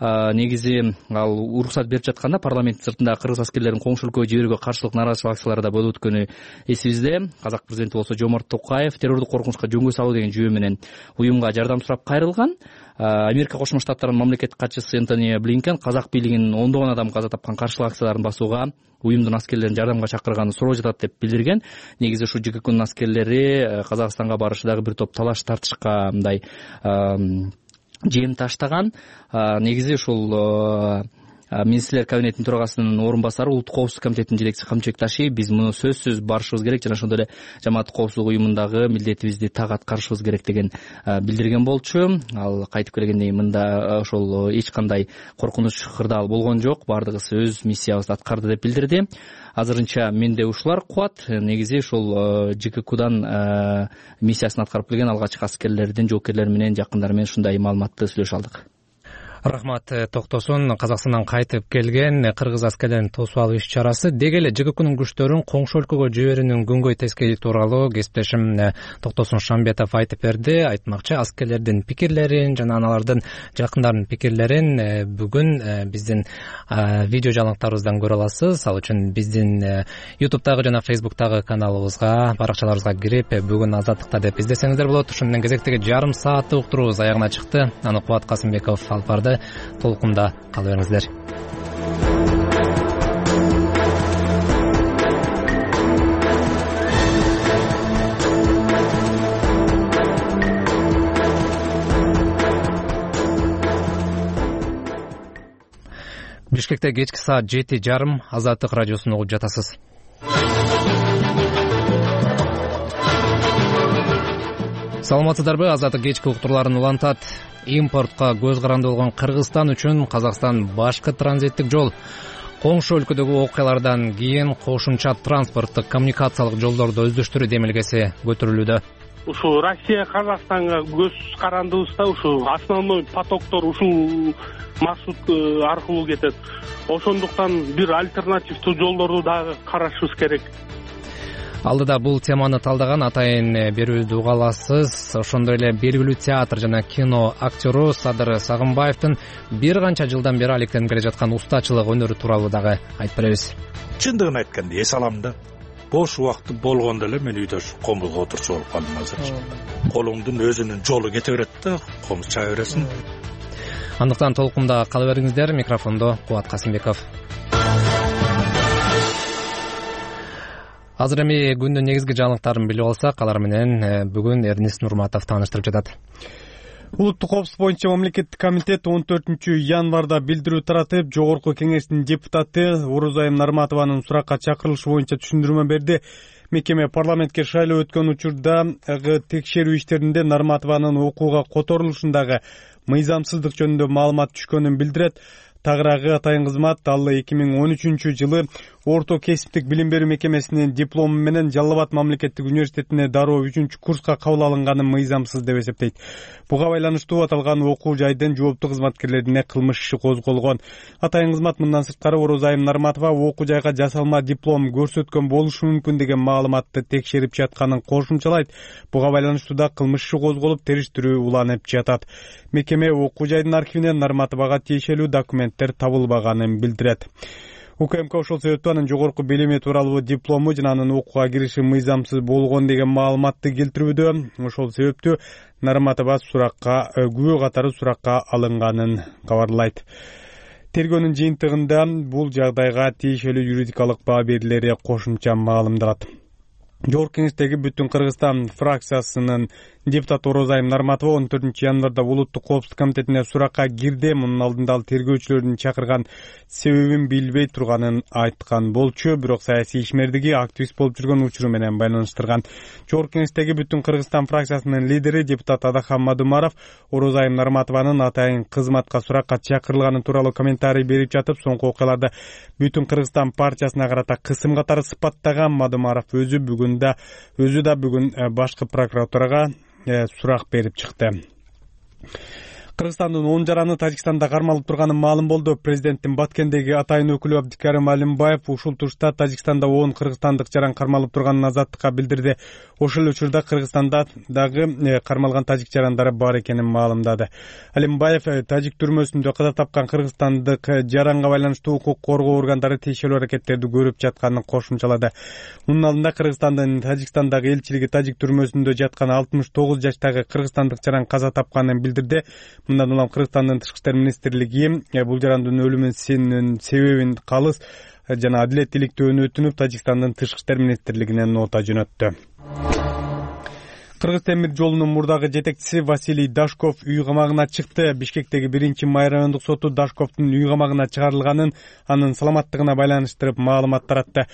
Негизи ал уруксат берип жатканда парламенттин сыртында кыргыз аскерлерин коңшу өлкөгө жиберүүгө каршылык нааразычылык акциялары да болуп өткөнү эсибизде. Казак президенти болсо Жомарт Токаев террордук коркунучка жөнгө салуу деген жүйө менен уюмга жардам сурап кайрылган. Америка Кошмо Штаттарынын мамлекеттик катчысы Энтони Блинкен казак бийлигинин ондогон адам каза тапкан каршылык акцияларын басууга уюмдун аскерлерин жардамга чакырганын суроо жатат деп билдирген. Негизи ушу ЖККнын аскерлери Казакстанга барышы дагы бир топ талаш тартышка мындай жем таштаган. Негизи ушул Министрлер кабинетинин төрагасынын орун басары, Улуттук коопсуздук комитетинин жетекчиси Камчыбек Ташиев биз муну сөзсүз барышыбыз керек жана ошондой эле Жамааттык коопсуздук уюмундагы милдетибизди так аткарышыбыз керек деген билдирген болчу. Ал кайтып келгенден кийин мында ошол эч кандай коркунуч кырдаал болгон жок, баардыгыбыз өз миссиябызды аткарды деп билдирди. Азырынча менде ушулар кубат. Негизи ушул ЖККдан миссиясын аткарып келген алгачкы аскерлердин жоокерлери менен жакындары менен ушундай маалыматты сүйлөшө алдык. Рахмат токтосун. Казакстандан кайтып келген кыргыз аскерлерин тосуп алуу иш-чарасы деги эле ЖККнын күчтөрүн коңшу өлкөгө жиберүүнүн күнгөй тескеи тууралуу кесиптешим Токтосун Шамбетов айтып берди. Айтмакчы, аскерлердин пикирлерин жана алардын жакындарынын пикирлерин бүгүн биздин видео жалаңтарыбыздан көрө аласыз. Ал үчүн биздин YouTube'дагы жана Facebook'тагы каналыбызга, баракчаларыбызга кирип бүгүн Азаттыкта деп издесеңиздер болот. Ушун менен кезектеги жарым сааттык уктуруубуз аягына чыкты. Аны Кубат Касымбеков алып барды. Толкунда кала бериңиздер. Бишкекте кечки саат 7:30 Азаттык радиосун угуп жатасыз. Саламатсыздарбы? Азаттык кечки уктурууларын улантат. Импортко көз каранды болгон Кыргызстан үчүн Казакстан башкы транзиттик жол. Коңшу өлкөдөгү окуялардан кийин кошумча транспорттук коммуникациялык жолдорду өздөштүрүү демилгеси көтөрүлүүдө. Ушу Россия Казакстанга көз карандыбызда ушу основной потоктор ушул маршрут аркылуу кетет. Ошондуктан бир альтернативдүү жолдорду дагы карашыбыз керек. Алдыда бул теманы талдаган атайын берүүбүздү уга аласыз. Ошондой эле белгилүү театр жана кино актёру Садыр Сагынбаевдин бир канча жылдан бери алектенип келе жаткан устачылык өнөрү тууралуу дагы айтып беребиз. Чындыгын айтканда эс алам да. Бош убактым болгондо эле мен үйдө комузга отурчу болуп калдым азыр. Колуңдун өзүнүн жолу кете берет да, комуз чаа бересиң. Андыктан толкунда кала бериңиздер. Микрофондо Кубат Касымбеков. Азыр эми күндүн негизги жаңылыктарын билип алсак, алар менен бүгүн Эрнис Нурматов тааныштырып жатат. Улуттук коопсуздук боюнча мамлекеттик комитет 14-январда билдирүү таратып, Жогорку кеңештин депутаты Орозайым Нарматованын суракка чакырылышы боюнча түшүндүрмө берди. Мекеме парламентке шайлоо өткөн учурдагы текшерүү иштеринде Нарматованын окууга которулушундагы мыйзамсыздык жөнүндө маалымат түшкөнүн билдирет. Тагыраагы атайын кызмат ал 2013-жылы Орто кесиптик билим берүү мекемесинин диплому менен Жалал Абад мамлекеттик университетине дароо 3-курска кабыл алынганы мыйзамсыз деп эсептейт. Буга байланыштуу аталган окуу жайдын жооптуу кызматкерлерине кылмыш иши козголгон. Атайын кызмат мындан сырткары Орозайым Нарматова окуу жайга жасалма диплом көрсөткөн болушу мүмкүн деген маалыматты текшерип жатканын кошумчалайт. Буга байланыштуу да кылмыш иши козголуп, териштирүү уланып жатат. Мекеме окуу жайдын архивинен Нарматовага тиешелүү документтер табылбаганын билдирет. УКМК ошол себептен анын жогорку билими тууралуу диплому жана анын окууга кириши мыйзамсыз болгон деген маалыматты келтирүүдө. Ошол себептүү Нарматова күбө катары суракка алынганын кабарлайт. Тергөөнүн жыйынтыгында бул жагдайга тиешелүү юридикалык баа берилери кошумча маалымдалат. Жогорку кеңештеги Бүтүн Кыргызстан фракциясынын депутаты Орозайым Нарматова 14-январда Улуттук коопсуздук комитетине суракка кирди. Мунун алдында ал тергөөчүлөрдүн чакырган себебин билбей турганын айткан болчу, бирок саясий ишмердиги активист болуп жүргөн учуру менен байланыштырган. Жогорку кеңештеги Бүтүн Кыргызстан фракциясынын лидери депутат Адахан Мадумаров Орозайым Нарматованын атайын кызматка суракка чакырылганы тууралуу комментарий берип жатып, соңку окуяларды Бүтүн Кыргызстан партиясына карата кысым катары сыпаттаган Мадумаров өзү да бүгүн башкы прокуратурага сурак берип чыкты. Кыргызстандын 10 жараны Тажикстанда кармалып турганы маалым болду. Президенттин Баткендеги атайын өкүлү Абдикарим Алимбаев ушул турушта Тажикстанда 10 кыргызстандык жаран кармалып турганын Азаттыкка билдирди. Ошол учурда Кыргызстанда дагы кармалган тажик жарандары бар экенин маалымдады. Алимбаев тажик түрмөсүндө каза тапкан кыргызстандык жаранга байланыштуу укук коргоо органдары тиешелүү аракеттерди көрүп жатканын кошумчалады. Мунун алдында Кыргызстандын Тажикстандагы элчилиги тажик түрмөсүндө жаткан 69 жаштагы кыргызстандык жаран каза тапканын билдирди. Мындан улам Кыргызстандын Тышкы иштер министрлиги бул жарандын өлүмүнүн себебин калыс жана адилеттүүлүктүү өтүнүп, Тажикстандын Тышкы иштер министрлигине нота жөнөттү. Кыргыз темир жолунун мурдагы жетекчиси Василий Дашков үй камагына чыкты. Бишкектеги 1-май райондук соту Дашковдун үй камагына чыгарылганын, анын саламаттыгына байланыштырып маалымат таратты.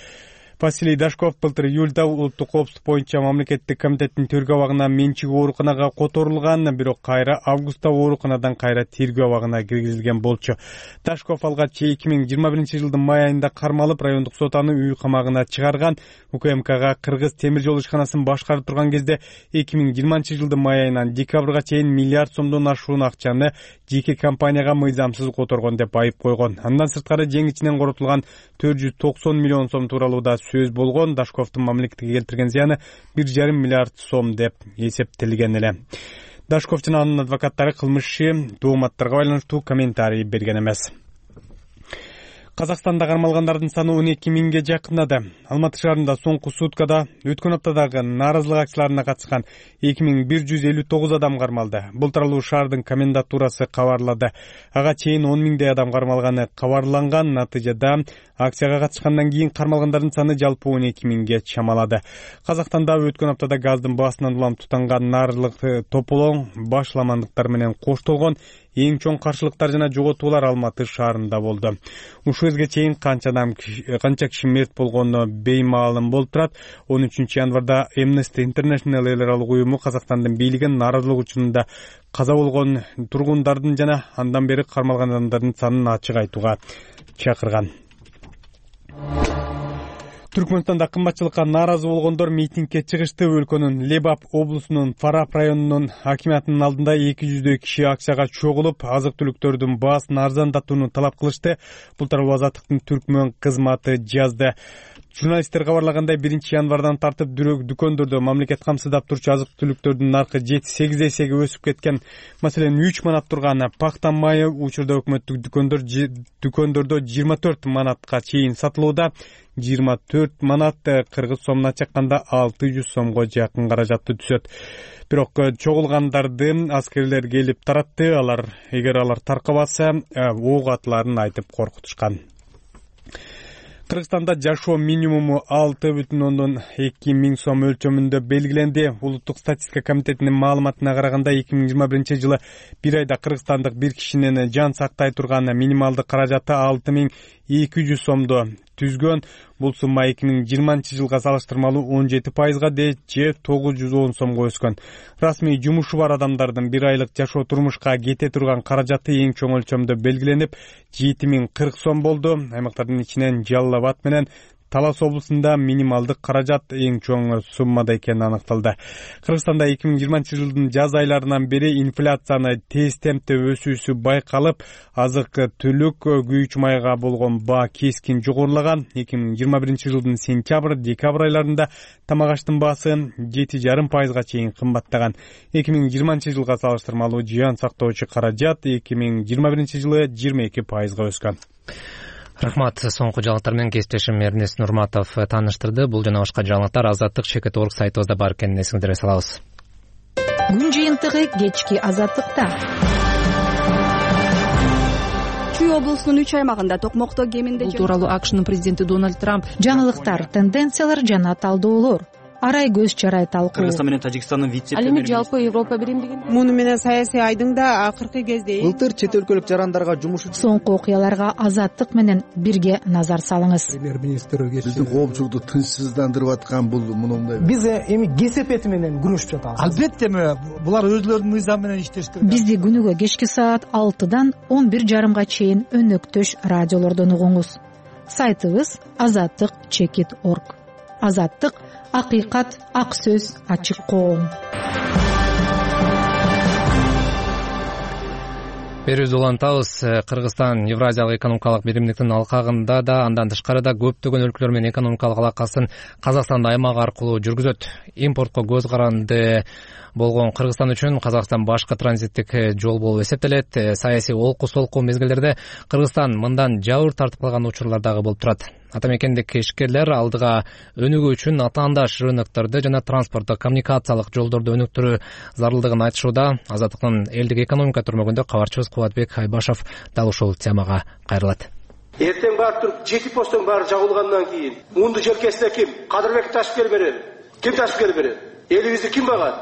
Василий Дашков былтыр июлда улуттук коопсуздук боюнча мамлекеттик комитеттин тергөө абагына менчиги ооруканага которулган, бирок кайра августта ооруканадан кайра тергөө абагына киргизилген болчу. Дашков алгач 2021 жылдын май айында кармалып, райондук сот аны үй камагына чыгарган. УКМКга Кыргыз темир жол ишканасын башкарып турган кезде 2020 жылдын май айынан декабрга чейин миллиард сомдон ашуун акчаны жеке компанияга мыйзамсыз которгон деп айып койгон. Андан сырткары жеңичинен коротулган 490 миллион сом тууралуу да сөз болгон. Дашковдун мамлекетке келтирген зыяны 1,5 миллиард сом деп эсептелген эле. Дашков жана анын адвокаттары кылмышчы тооматтарга байланыштуу комментарий берген эмес. Казакстанда кармалгандардын саны 12 миңге жакындады. Алматы шаарында соңку суткада өткөн аптадагы нааразылык акцияларына катышкан 2159 адам кармалды. Бул тууралуу шаардын комендатурасы кабарлады. Ага чейин 10 миңдей адам кармалганы кабарланган. Натыйжада акцияга катышкандан кийин кармалгандардын саны жалпы 12 миңге чамалады. Казакстанда өткөн аптада газдын баасынан улам тутанган нааразылык тополоң башламандыктар менен коштолгон. Эң чоң каршылыктар жана жоготуулар Алматы шаарында болду. Ушул кезге чейин канча киши мерт болгону беймаалым болуп турат. 13 январда Amnesty International эл аралык уюму Казакстандын бийлигин нааразылык учурунда каза болгон тургундардын жана андан бери кармалган адамдардын санын ачык айтууга чакырган. Түркмөнстанда кымбатчылыкка нааразы болгондор митингге чыгышты. Өлкөнүн Лебап облусунун Фарап районунун акимиятынын алдында 200дөй киши акчага чогулуп, азык-түлүктөрдүн баасын арзандатууну талап кылышты. Бул тууралуу Азаттыктын Түркмөн кызматы жазды. Журналисттер кабарлагандай 1 январдан тартып дүкөндөрдө мамлекет камсыздап турчу азык-түлүктөрдүн наркы 7-8 эсеге өсүп кеткен. Маселен, 3 манат турган пахта майы учурда өкмөттүк дүкөндөрдө 24 манатка чейин сатылууда. 24 манат кыргыз сомуна чакканда 600 сомго жакын каражатты түсөт. Бирок чогулгандарды аскерлер келип таратты. Эгер алар таркабаса, ок атыларын айтып коркутушкан. Кыргызстанда жашоо минимуму 6,2 миң сом өлчөмүндө белгиленди. Улуттук статистика комитетинин маалыматына караганда 2021 жылы бир айда кыргызстандык бир кишинин жан сактай турган минималдык каражаты 6,200 сомду түзгөн. Бул сумма 2020 жылга салыштырмалуу 17% же 910 сомго өскөн. Расмий жумушу бар адамдардын бир айлык жашоо турмушка кете турган каражаты эң чоң өлчөмдө белгиленип 7040 сом болду. Аймактардын ичинен Жалал Абад менен Талас облусунда минималдык каражат эң чоң суммада экени аныкталды. Кыргызстанда 2020 жылдын жаз айларынан бери инфляцияны тез темпте өсүүсү байкалып, азык-түлүк, күйүүчү майга болгон баа кескин жогорулаган. 2021 жылдын сентябрь-декабрь айларында тамак аштын баасы 7,5% чейин кымбаттаган. 2020 жылга салыштырмалуу жан сактоочу каражат 2021 жылы 22% өскөн. Рахмат. Соңку жаңылыктар менен кесиптешим Эрнест Нурматов тааныштырды. Бул жана башка жаңылыктар Азаттык.org сайтыбызда бар экенин эсиңиздерге салабыз. Күн жыйынтыгы кечки Азаттыкта. Чүй облусунун 3 аймагында токмокто кеминде бул тууралуу АКШнын президенти Дональд Трамп жаңылыктар, тенденциялар жана талдоолор арай көз чарай талкуу. Кыргызстан менен Тажикстандын вице-премьери. Ал эми жалпы Европа биримдигин. Муну менен саясий айдың да акыркы кезде былтыр чет өлкөлүк жарандарга жумуш соңку окуяларга Азаттык менен бирге назар салыңыз. Премьер-министр биздин коопчулукту тынчсыздандырып аткан бул мындай. Биз эми кесепети менен күрөшүп жатабыз. Албетте булар өзлөрүнүн мыйзам менен иштеш керек. Бизди күнүгө кечки саат 6-дан 11:30 чейин өнөктөш радиолордон угуңуз. Сайтыбыз azattik.org. Азаттык — акыйкат, ак сөз, ачык коом. Берүүбүздү улантабыз. Кыргызстан Евразиялык экономикалык биримдиктин алкагында да, андан тышкары да көптөгөн өлкөлөр менен экономикалык алакасын Казакстан аймак аркылуу жүргүзөт. Импортко көз каранды болгон Кыргызстан үчүн Казакстан башкы транзиттик жол болуп эсептелет. Саясий олку-солку мезгилдерде Кыргызстан мындан жабыр тартып калган учурлар дагы болуп турат. Атамекендик ишкерлер алдыга өнүгүү үчүн атаандаш рынокторду жана транспорттук коммуникациялык жолдорду өнүктүрүү зарылдыгын айтышууда. Азаттыктын элдик экономика түрмөгүндө кабарчыбыз Кубатбек Айбашев дал ушул темага кайрылат. Эртең барып туруп, жети посттон баары жабылгандан кийин мунду желкесине ким? Кадырбек Ташкер берет. Ким Ташкер берет? Элибизди ким багат?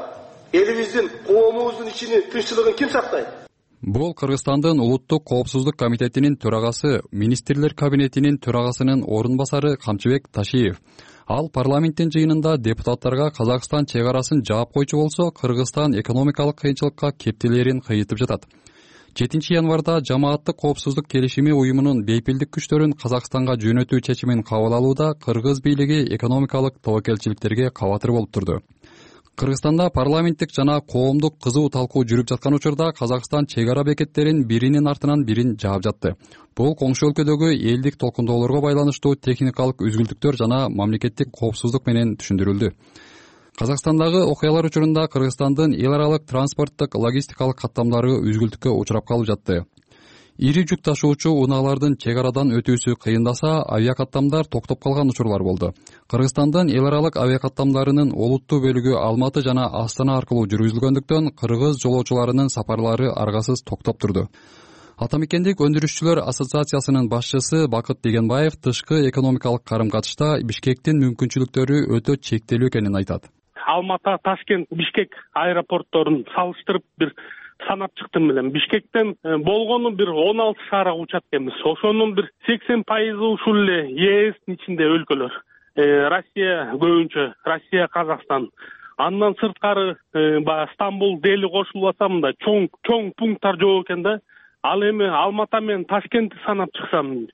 Элибиздин коомубуздун ичини тынччылыгын ким сактайт? Бул Кыргызстандын улуттук коопсуздук комитетинин төрагасы, министрлер кабинетинин төрагасынын орун басары Камчыбек Ташиев. Ал парламенттин жыйынында депутаттарга Казакстан чек арасын жаап койчу болсо, Кыргызстан экономикалык кыйынчылыкка кептелерин кыйытып жатат. 7 январда Жамааттык коопсуздук келишими уюмунун бейпилдик күчтөрүн Казакстанга жөнөтүү чечимин кабыл алууда кыргыз бийлиги экономикалык тобокелчиликтерге кабатыр болуп турду. Кыргызстанда парламенттик жана коомдук кызуу талкуу жүрүп жаткан учурда Казакстан чек ара бекеттерин биринин артынан бирин жаап жатты. Бул коңшу өлкөдөгү элдик толкундоолорго байланыштуу техникалык үзгүлтүктөр жана мамлекеттик коопсуздук менен түшүндүрүлдү. Казакстандагы окуялар учурунда Кыргызстандын эл аралык транспорттук логистикалык каттамдары үзгүлтүккө учурап калып жатты. Ири жүк ташуучу унаалардын чек арадан өтүүсү кыйындаса, авиакаттамдар токтоп калган учурлар болду. Кыргызстандын эл аралык авиакаттамдарынын олуттуу бөлүгү Алматы жана Астана аркылуу жүргүзүлгөндүктөн кыргыз жолоочуларынын сапарлары аргасыз токтоп турду. Атамекендик өндүрүшчүлөр ассоциациясынын башчысы Бакыт Дегенбаев тышкы экономикалык карым-катышта Бишкектин мүмкүнчүлүктөрү өтө чектелүү экенин айтат. Алматы, Ташкент, Бишкек аэропортторун салыштырып бир санап чыктым элем. Бишкектен болгону бир 16 шаарга учат экенбиз. Ошонун бир 80% ушул эле ЕСтин ичинде өлкөлөр. Россия көбүнчө, Россия, Казакстан. Андан сырткары баягы Стамбул, Дели кошулуп атса мында чоң пункттар жок экен да. Ал эми Алматы менен Ташкентти санап чыксам,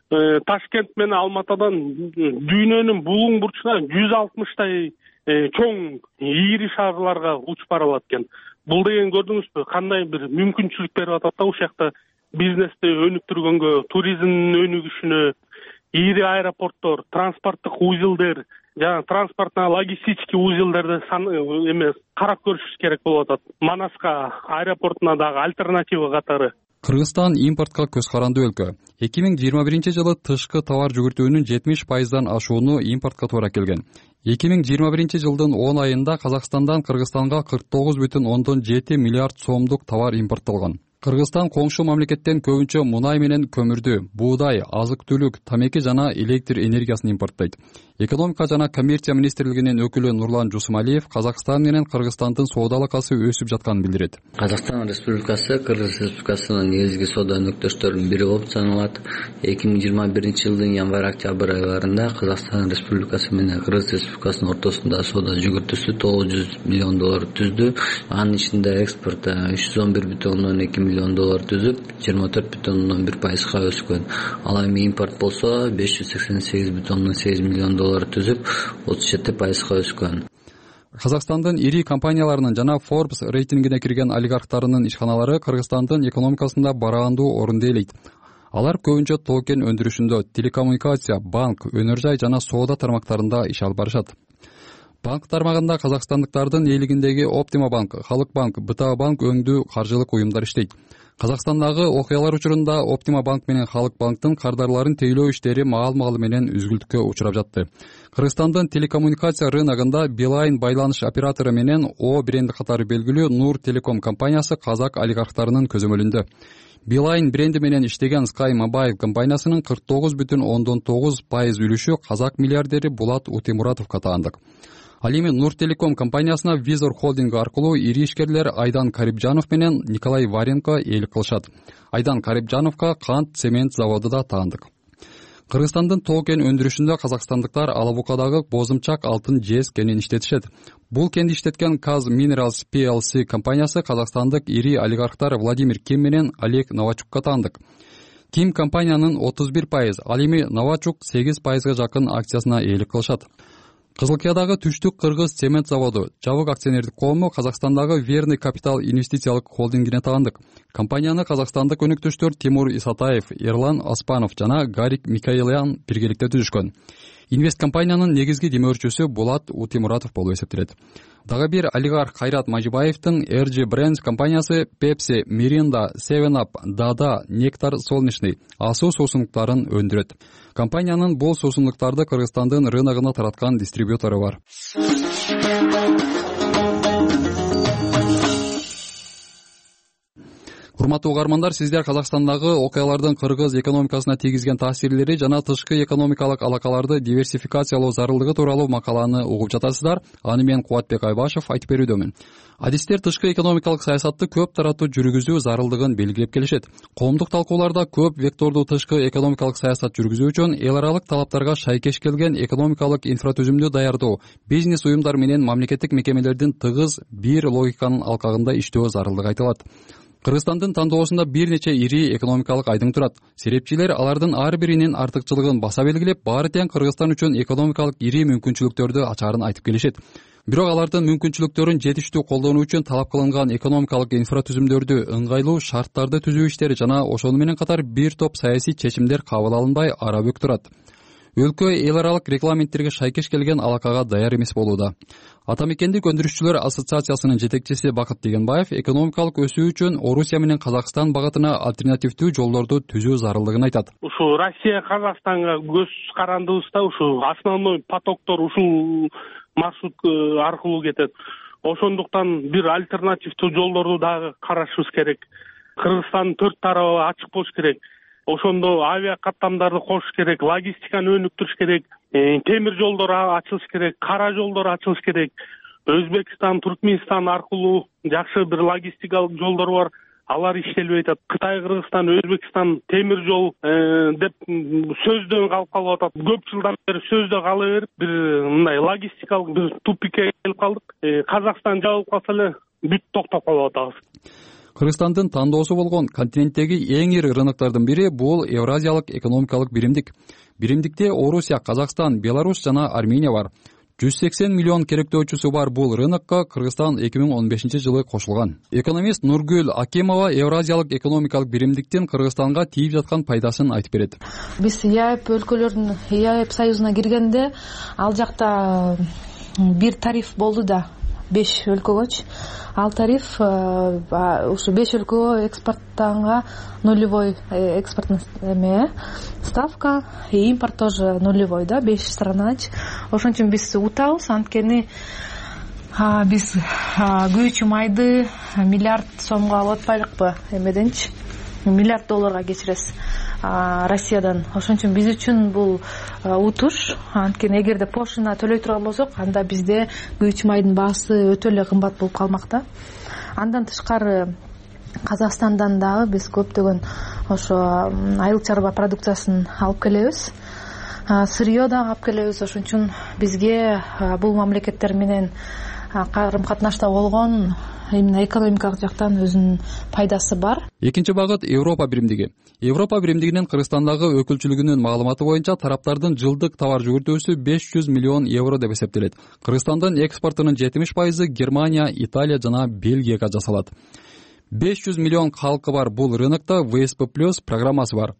Ташкент менен Алматадан дүйнөнүн булуң бурчуна 160 чоң ири шаарларга учуп бара алат экен. Бул деген көрдүңүзбү, кандай бир мүмкүнчүлүк берип атат да ушул жакта бизнести өнүктүргөнгө, туризмдин өнүгүшүнө, ири аэропорттор, транспорттук узелдер, жана транспортно-логистический узелдерди карап көрүш керек болуп атат. Манаска аэропортуна дагы альтернатива катары. Кыргызстан импортко көз карандуу өлкө. 2021 жылы тышкы товар жүгүртүүнүн 70% ашууну импортко туура келген. 2021 жылдын 10 айында Казакстандан Кыргызстанга 49,7 миллиард сомдук товар импорттолгон. Кыргызстан коңшу мамлекеттен көбүнчө мунай менен көмүрдү, буудай, азык-түлүк, тамеки жана электр энергиясын импорттойт. Экономика жана коммерция министрлигинин өкүлү Нурлан Жусумалиев Казакстан менен Кыргызстандын соода алакасы өсүп жатканын билдирет. Казакстан Республикасы Кыргыз Республикасынын негизги соода өнөктөштөрүнүн бири болуп саналат. 2021 жылдын январь-октябрь айларында Казакстан Республикасы менен Кыргыз Республикасынын ортосунда соода жүгүртүүсү $900 миллион түздү. Анын ичинде экспорт $111,2 миллион түзүп, 24,1%га өскөн. Ал эми импорт болсо $588,8 миллион түзүп, 37%га өскөн. Казакстандын ири компанияларынын жана Forbes рейтингине кирген олигархтарынын ишканалары Кыргызстандын экономикасында бараандуу орунду ээлейт. Алар көбүнчө тоо-кен өндүрүшүндө, телекоммуникация, банк, өнөр жай жана соода тармактарында иш алып барышат. Банк тармагында казакстандыктардын ээлигиндеги Оптима банк, Халык банк, БТА банк өңдүү каржылык уюмдар иштейт. Казакстандагы окуялар учурунда Оптима банк менен Халык банктын кардарларын тейлөө иштери маал-маалы менен үзгүлтүккө учурап жатты. Кыргызстандын телекоммуникация рыногунда Билайн байланыш оператору менен О бренди катары белгилүү Нур Телеком компаниясы казак олигархтарынын көзөмөлүндө. Билайн бренди менен иштеген Sky Mobile компаниясынын 49,9% үлүшү казак миллиардери Булат Утемуратовго таандык. Ал эми Нур Телеком компаниясына Визор холдинг аркылуу ири ишкерлер Айдан Карибжанов менен Николай Варенко ээлик кылышат. Айдан Карибжановго кант цемент заводу да таандык. Кыргызстандын тоо-кен өндүрүшүндө казакстандыктар Алабукадагы Бозумчак алтын жез кенин иштетишет. Бул кенди иштеткен Kaz Minerals PLC компаниясы казакстандык ири олигархтар Владимир Ким менен Олег Новачукка таандык. Ким компаниянын 31%, ал эми Новачук 8%га жакын акциясына ээлик кылышат. Кызылкиядагы Түштүк Кыргыз цемент заводу жабык акционердик коому Казакстандагы Верный Капитал инвестициялык холдингине таандык. Компанияны казакстандык өнөктөштөр Тимур Исатаев, Эрлан Аспанов жана Гарик Микаэлян биргеликте түзүшкөн. Инвест компаниянын негизги демөөрчүсү Булат Утемуратов болуп эсептелет. Дагы бир олигарх Кайрат Мажибаевдин RG Brands компаниясы Pepsi, Mirinda, 7up, Dada, Nectar Солнечный асуу суусундуктарын өндүрөт. Компаниянын бул суусундуктарды Кыргызстандын рыногуна тараткан дистрибьютору бар. урматтуу угармандар, сиздер Казакстандагы окуялардын кыргыз экономикасына тийгизген таасирлери жана тышкы экономикалык алакаларды диверсификациялоо зарылдыгы тууралуу макаланы угуп жатасыздар. Аны мен Кубатбек Айбашев айтып берүүдөмүн. Адистер тышкы экономикалык саясатты көп тараттуу жүргүзүү зарылдыгын белгилеп келишет. Коомдук талкууларда көп вектордуу тышкы экономикалык саясат жүргүзүү үчүн эл аралык талаптарга шайкеш келген экономикалык инфратүзүмдү даярдоо, бизнес уюмдар менен мамлекеттик мекемелердин тыгыз бир логиканын алкагында иштөө зарылдыгы айтылат. Кыргызстандын тандоосунда бир нече ири экономикалык айдың турат. Серепчилер алардын ар биринин артыкчылыгын баса белгилеп, баары тең Кыргызстан үчүн экономикалык ири мүмкүнчүлүктөрдү ачаарын айтып келишет. Бирок алардын мүмкүнчүлүктөрүн жетиштүү колдонуу үчүн талап кылынган экономикалык инфратүзүмдөрдү ыңгайлуу шарттарды түзүү иштери жана ошону менен катар бир топ саясий чечимдер кабыл алынбай арабөк турат. Өлкө эл аралык регламенттерге шайкеш келген алакага даяр эмес болууда. Ата мекендик өндүрүшчүлөр ассоциациясынын жетекчиси Бакыт Дегенбаев экономикалык өсүү үчүн Орусия менен Казакстан багытына альтернативдүү жолдорду түзүү зарылдыгын айтат. Ушу Россия Казакстанга көз карандыбызда ушу основной потоктор ушул маршрут аркылуу кетет. Ошондуктан бир альтернативдүү жолдорду дагы карашыбыз керек. Кыргызстандын 4 тарабы ачык болуш керек. Ошондо авиа каттамдарды кошуш керек, логистиканы өнүктүрүш керек, темир жолдор ачылыш керек, кара жолдор ачылыш керек. Өзбекстан, Туркменстан аркылуу жакшы бир логистикалык жолдор бар. Алар иштелбей атат. Кытай, Кыргызстан, Өзбекстан темир жол деп сөздөн калып атат. Көп жылдан бери сөздө кала берип, бир мындай логистикалык бир тупикке келип калдык. Казакстан жабылып калса эле бүт токтоп калып атабыз. Кыргызстандын тандоосу болгон континенттеги эң ири рыноктордун бири бул Евразиялык экономикалык биримдик. Биримдикте Орусия, Казакстан, Беларусь жана Армения бар. 180 миллион керектөөчүсү бар бул рынокко Кыргызстан 2015-жылы кошулган. Экономист Нургүл Акимова Евразиялык экономикалык биримдиктин Кыргызстанга тийип жаткан пайдасын айтып берет. Биз ЕАЭП өлкөлөрүнүн ЕАЭП союзуна киргенде ал жакта бир тариф болду да 5 өлкөгөчү. Ал тариф ушу 5 өлкөгө экспорттанга нулевой экспортный ставка, и импорт тоже нулевой, да, 5 странач. Ошон үчүн биз утабыз, анткени биз күйүүчү майды миллиард сомго алып атпайлыкпы, эмеденчи миллиард долларга кечиресиз Россиядан. Ошон үчүн биз үчүн бул утуш. Анткени эгерде пошлина төлөй турган болсок, анда бизде күйүүчү майдын баасы өтө эле кымбат болуп калмак. Андан тышкары Казакстандан дагы биз көптөгөн ошо айыл чарба продукциясын алып келебиз. Сырье да алып келебиз. Ошон үчүн бизге бул мамлекеттер менен карым катнашта болгон именно экономикалык жактан өзүнүн пайдасы бар. Экинчи багыт Европа биримдиги. Европа биримдигинин Кыргызстандагы өкүлчүлүгүнүн маалыматы боюнча тараптардын жылдык товар жүгүртүүсү 500 миллион евро деп эсептелет. Кыргызстандын экспортунун 70% Германия, Италия жана Бельгияга жасалат. 500 миллион калкы бар бул рынокто ВСП+ программасы бар.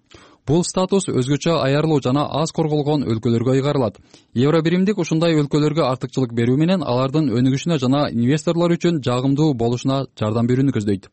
Бул статус өзгөчө аярлуу жана аз корголгон өлкөлөргө ыйгарылат. Евро биримдик ушундай өлкөлөргө артыкчылык берүү менен алардын өнүгүшүнө жана инвесторлор үчүн жагымдуу болушуна жардам берүүнү көздөйт.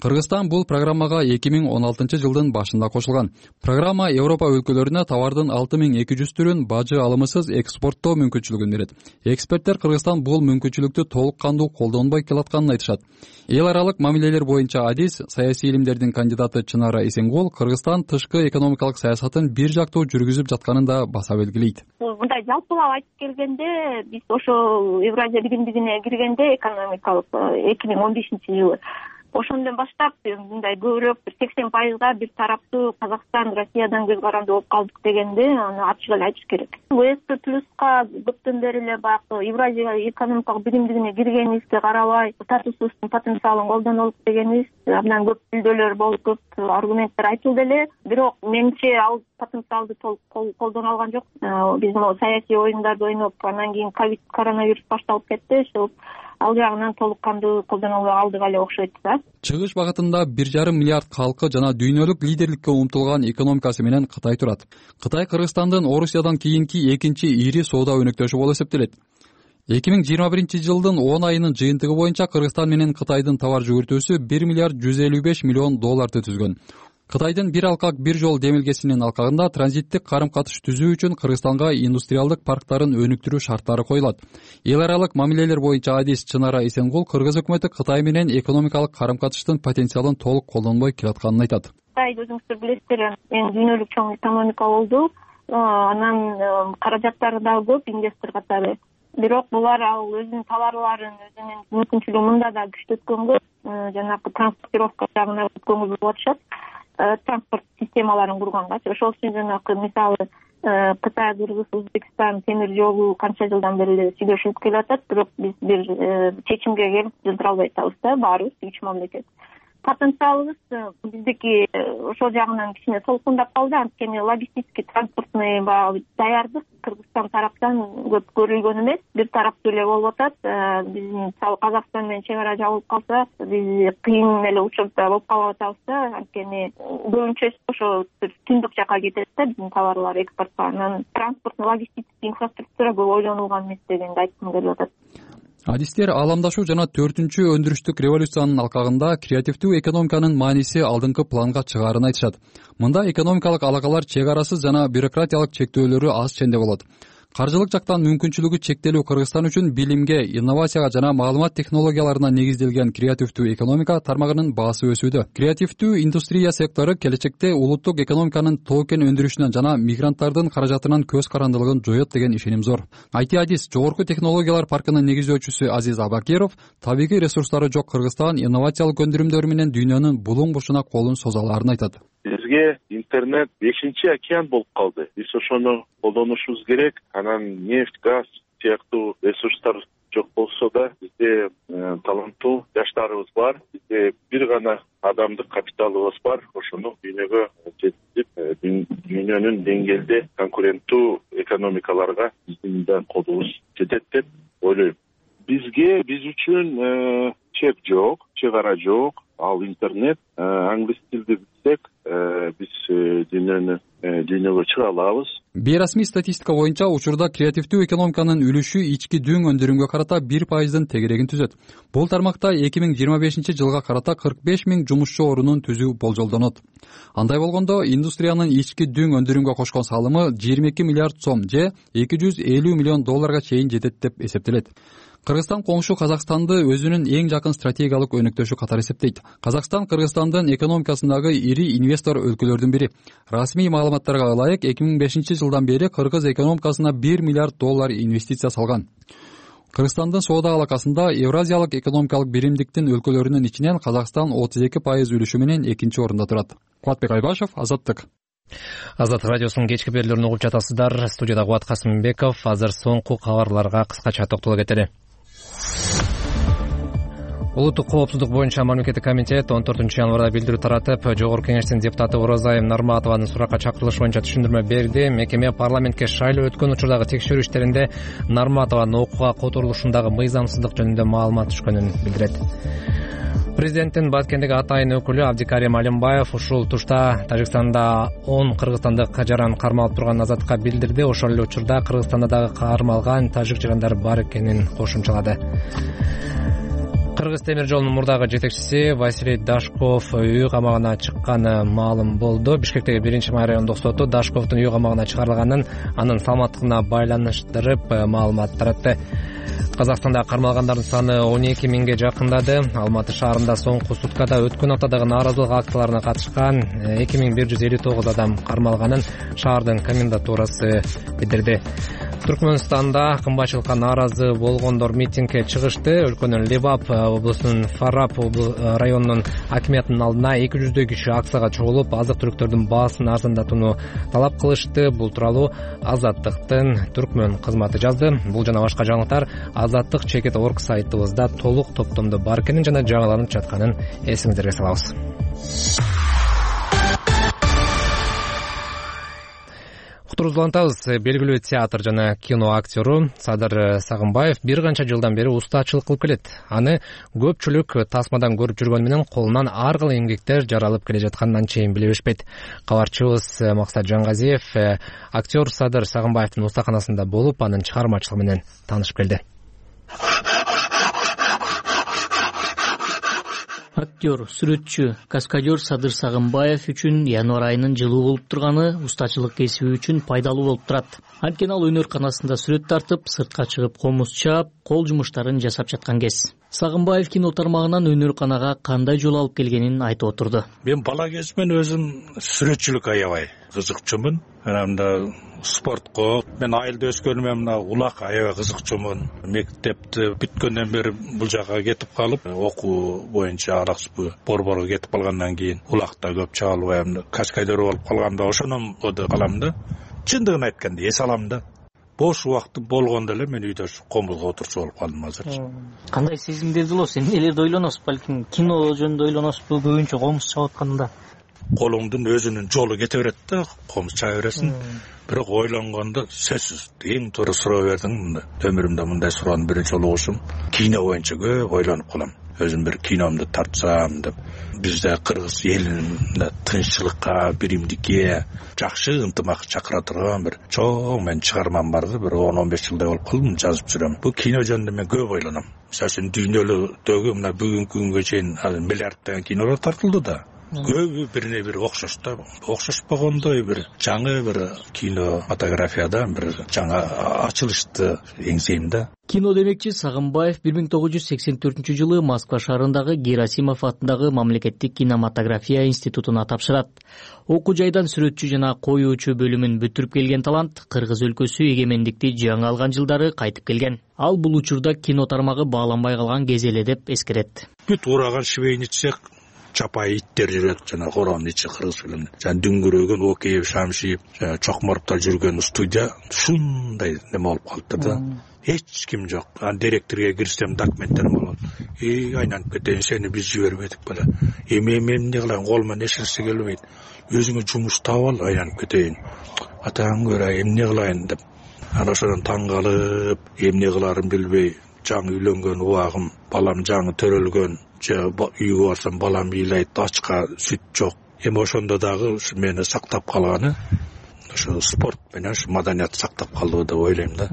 Кыргызстан бул программага 2016-жылдын башында кошулган. Программа Европа өлкөлөрүнө товардын 6200 түрүн бажы алымысыз экспорттоо мүмкүнчүлүгүн берет. Эксперттер Кыргызстан бул мүмкүнчүлүктү толук кандуу колдонбой келатканын айтышат. Эл аралык мамилелер боюнча адис, саясий илимдердин кандидаты Чынара Эсенгул Кыргызстан тышкы экономикалык саясатын бир жактуу жүргүзүп жатканын да баса белгилейт. Мындай жалпылап айтып келгенде, биз ошо Евразия биримдигине киргенде экономикалык 2015-жылы ошондон баштап мындай көбүрөөк 80% бир тараптуу Казакстан, Россиядан көз каранды болуп калдык дегенде, аны ачык эле айтыш керек. ВСП+ка көптөн бери эле баягы Евразия экономикалык биримдигине киргенибизге карабай, статусубуздун потенциалын колдонолук дегенибиз абдан көп билдөлөр болуп, көп аргументтер айтылды эле. Бирок менимче ал потенциалды толук колдоно алган жок. Биз могу саясий оюндарды ойноп, анан кийин коронавирус башталып кетти, ошол ал жагынан толук кандуу колдоно албай калдык эле окшойт да. Чыгыш багытында 1,5 миллиард калкы жана дүйнөлүк лидерликке умтулган экономикасы менен Кытай турат. Кытай Кыргызстандын Орусиядан кийинки экинчи ири соода өнөктөшү болуп эсептелет. 2021-жылдын 10 айынын жыйынтыгы боюнча Кыргызстан менен Кытайдын товар жүгүртүүсү 1 миллиард 155 миллион долларды түзгөн. Кытайдын бир алкак бир жол демилгесинин алкагында транзиттик карым-катыш түзүү үчүн Кыргызстанга индустриалдык парктарын өнүктүрүү шарттары коюлат. Эл аралык мамилелер боюнча адис Чынара Эсенгул Кыргыз өкмөтү Кытай менен экономикалык карым-катыштын потенциалын толук колдонбой келатканын айтат. Кытай өзүңүздөр билесиздер, дүйнөлүк чоң экономика болду. Анан каражаттары дагы көп инвестор катары. Бирок булар ал өзүнүн товарларын, өзүнүн мүмкүнчүлүгүн мында да күчтөткөнгө, жанагы транспортировка жагына көңүл буруп атышат. Транспорт системаларын кургангачы. Ошол үчүн жанагы мисалы Кытай, Кыргыз, Өзбекстан темир жолу канча жылдан бери эле сүйлөшүлүп келатат, бирок биз бир чечимге келип жылдыра албай атабыз да, баарыбыз 3 мамлекет. Потенциалыбыз биздики ошол жагынан кичине солкундап калды, анткени логистический транспортный даярдык Кыргызстан тараптан көп көрүлгөн эмес, бир тараптуу эле болуп атат. Биздин мисалы Казакстан менен чек ара жабылып калса, биз кыйын эле учурда болуп калып атабыз да, анткени көбүнчө ошо түндүк жака кетет да биздин товарлар экспортко. Анан транспортный логистический инфраструктура көп ойлонулган эмес дегенди айткым келип атат. Адистер ааламдашуу жана 4-чү өндүрүштүк революциянын алкагында креативдүү экономиканын мааниси алдыңкы планга чыгаарын айтышат. Мында экономикалык алакалар чек арасыз жана бюрократиялык чектөөлөрү аз ченде болот. Каржылык жактан мүмкүнчүлүгү чектелүү Кыргызстан үчүн билимге, инновацияга жана маалымат технологияларына негизделген креативдүү экономика тармагынын баасы өсүүдө. Креативдүү индустрия сектору келечекте улуттук экономиканын токен өндүрүшүнөн жана мигранттардын каражатынан көз карандылыгын жоет деген ишеним зор. IT-адис Жогорку технологиялар паркынын негиздөөчүсү Азиз Абакиров табигый ресурстары жок Кыргызстан инновациялык өндүрүмдөрү менен дүйнөнүн булуң бурчуна колун соза алаарын айтат. Бизге интернет 5-чи океан болуп калды. Биз ошону колдонушубуз керек. Анан нефть, газ сыяктуу ресурстар жок болсо да, бизде таланттуу жаштарыбыз бар. Бизде бир гана адамдык капиталыбыз бар. Ошону дүйнөгө жеткизип, дүйнөнүн деңгээлде конкуренттүү экономикаларга биздин да колубуз жетет деп ойлойм. Биз үчүн чек жок, чек ара жок. Ал интернет, англис тилди билсек, биз дүйнөгө чыга алабыз. Бейрасмий статистика боюнча учурда креативдүү экономиканын үлүшү ички дүң өндүрүмгө карата 1%-дын тегерегин түзөт. Бул тармакта 2025-жылга карата 45 000 жумушчу орунун түзүү болжолдонот. Андай болгондо индустриянын ички дүң өндүрүмгө кошкон салымы 22 миллиард сом же $250 миллион чейин жетет деп эсептелет. Кыргызстан коңшу Казакстанды өзүнүн эң жакын стратегиялык өнөктөшү катары эсептейт. Казакстан Кыргызстандын экономикасындагы ири инвестор өлкөлөрдүн бири. Расмий маалыматтарга ылайык 2005-жылдан бери кыргыз экономикасына $1 миллиард инвестиция салган. Кыргызстандын соода алакасында Евразиялык экономикалык биримдиктин өлкөлөрүнүн ичинен Казакстан 32% үлүшү менен 2-чи орунда турат. Кубатбек Айбашев, Азаттык. Азаттык радиосунун кечки берүүлөрүн угуп жатасыздар. Студияда Кубат Касымбеков. Азыр соңку кабарларга кыскача токтоло кетели. Улуттук коопсуздук боюнча мамлекеттик комитет 14-январда билдирүү таратып, Жогорку Кеңештин депутаты Оразайым Нарматованын суракка чакырылышы боюнча түшүндүрмө берди. Мекеме парламентке шайлоо өткөн учурдагы текшерүү иштеринде Нарматованын окууга которулушундагы мыйзамсыздык жөнүндө маалымат түшкөнүн билдирет. Президенттин Баткендеги атайын өкүлү Абдикарим Алимбаев ушул тушта Тажикстанда 10 кыргызстандык жаран кармалып турганын Азаттыкка билдирди. Ошол эле учурда Кыргызстанда дагы кармалган тажик жарандар бар экенин кошумчалады. Кыргыз темир жолунун мурдагы жетекчиси Василий Дашков үй камагына чыкканы маалым болду. Бишкектеги 1-май райондук соту Дашковдун үй камагына чыгарылганын, анын саламаттыгына байланыштырып маалымат таратты. Казакстанда кармалгандардын саны 12 000ге жакындады. Алматы шаарында соңку суткада өткөн аптадагы нааразылык акцияларына катышкан 2159 адам кармалганын шаардын комендатурасы билдирди. Түркмөнстанда кымбатчылыкка нааразы болгондор митингге чыгышты. Өлкөнүн Лебап облусунун Фараб районунун акимиятынын алдына 200 киши акцияга чогулуп, азык-түлүктөрдүн баасын арзандатууну талап кылышты. Бул тууралуу Азаттыктын Түркмөн кызматы жазды. Бул жана башка жаңылыктар Азаттык чекит орг сайтыбызда толук топтомдо бар экенин жана жаңыланып жатканын эсиңиздерге салабыз. Уктуруусулантабыз. Белгилүү театр жана кино актёру Садыр Сагынбаев бир канча жылдан бери устачылык кылып келет. Аны көпчүлүк тасмадан көрүп жүргөнү менен колунан ар кыл эмгектер жаралып келе жатканын анчейин биле беришпейт. Кабарчыбыз Максат Жангазиев актер Садыр Сагынбаевдин устаканасында болуп, анын чыгармачылыгы менен таанышып келди. Актер, сүрөтчү, каскадер Садыр Сагынбаев үчүн январь айынын жылуу болуп турганы устачылык кесиби үчүн пайдалуу болуп турат. Анткени ал өнөрканасында сүрөт тартып, сыртка чыгып комуз чаап, кол жумуштарын жасап жаткан кез. Сагынбаев кино тармагынан өнөрканага кандай жол алып келгенин айтып отурду. Мен бала кезимден өзүм сүрөтчүлүккө аябай кызыкчумун. Мында спортко, мен айылда өскөнүмө мына улак аябай кызыкчумун. Мектепти бүткөндөн бери бул жака кетип калып, окуу боюнча Алаксуу Борборго кетип калгандан кийин улакта көп чаалбайм, каскадер болуп калганда ошондон калам да. Чындыгын айтканда эс алам да. Бош убактым болгондо эле мен үйдө комузго отурчу болуп калдым азырчы. Кандай сезимдерди болосуз? Эмнелерди ойлоносуз? Балким кино жөнүндө ойлоносузбу? Көбүнчө комуз чаап атканда. Колуңдун өзүнүн жолу кете берет да, комуз чаап бересиң. Бирок ойлонгондо сөзсүз эң туура суроо бердиң. Өмүрүмдө мындай суроону биринчи жолу угушум. Кино боюнча көп ойлонуп калам. Өзүм бир киномду тартсам деп. Бизде кыргыз элинде тынччылыкка, биримдикке, жакшы ынтымак чакыра турган бир чоң мен чыгармам барды. Бир 10-15 жылдай болуп калдым, жазып жүрөм. Бул кино жөнүндө мен көп ойлоном. Мисалы дүйнөлүктөгү мына бүгүнкү күнгө чейин миллиарддаган кинолор тартылды да. Көбү бирине бири окшош да. Окшошпогондой бир жаңы бир кинематографияда бир жаңа ачылышты эңсейм да. Кино демекчи Сагынбаев 1984-жылы Москва шаарындагы Герасимов атындагы мамлекеттик кинематография институтуна тапшырат. Окуу жайдан сүрөтчү жана коюучу бөлүмүн бүтүрүп келген талант Кыргыз өлкөсү эгемендикти жаңы алган жылдары кайтып келген. Ал бул учурда кино тармагы бааланбай калган кез эле деп эскерет. Бүт ураган швейный цех чапай иттер жүрөт, жана коронун ичи кыргыз фильмде. Жана дүңгүрөгөн Океев, Шамшиев, жана Чокморовдор жүргөн студия ушундай неме болуп калыптыр да. Эч ким жок. Директорго кирсем документтерим болот. Айнанып кетейин, сени биз жибербедик беле. Мен эмне кылайын, колуман эч нерсе келбейт. Өзүңө жумуш таап ал, айнанып кетейин. Атаң көрө, эмне кылайын деп. Ана ошондон таң калып, эмне кыларын билбей, жаңы үйлөнгөн убагым, балам жаңы төрөлгөн, үйгө барсам балам ыйлайт, ачка сүт жок. Эми ошондо дагы мени сактап калганы ошо спорт менен ушу маданият сактап калды деп ойлойм да.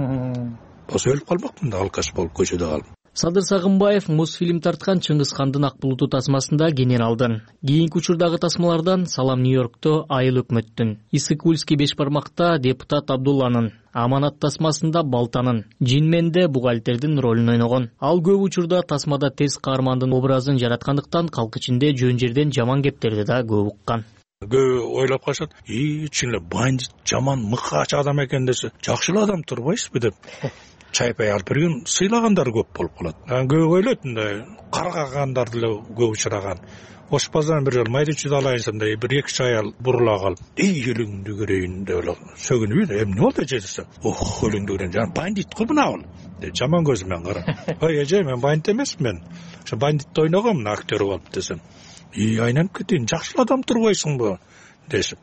Болсо өлүп калмакмын да, алкаш болуп көчөдө калып. Садыр Сагынбаев Мосфильм тарткан Чыңгыз хандын ак булуту тасмасында генералдын, кийинки учурдагы тасмалардан Салам Нью-Йоркто Айыл өкмөттүн, Исыкульский беш бармакта депутат Абдулланын, Аманат тасмасында Балтанын, Жинменде бухгалтердин ролун ойногон. Ал көп учурда тасмада тез каармандын образын жараткандыктан калк ичинде жөн жерден жаман кептерди да көп уккан. Көп ойлоп калышат, чын эле бандит, жаман мыкач адам экен десе, жакшы эле адам турбайсызбы деп. Чайпай алып берген сыйлагандар көп болуп калат. Көп ойлойт мындай каргагандар деле көп учураган. Ошпаздан бир жолу майричиди алайын да бир 2 аял бурула калып, элиңди көрөйүн деп эле сөгүнүп, эмне болду эже десем, элиңди көрөйүн, жана бандит го мына бул деп жаман көзү менен карап. Ой эже, мен бандит эмесмин. Ошо бандитти ойногом, мына актер болуп десем. Айнанып кетейин, жакшы адам турбайсыңбы дешип.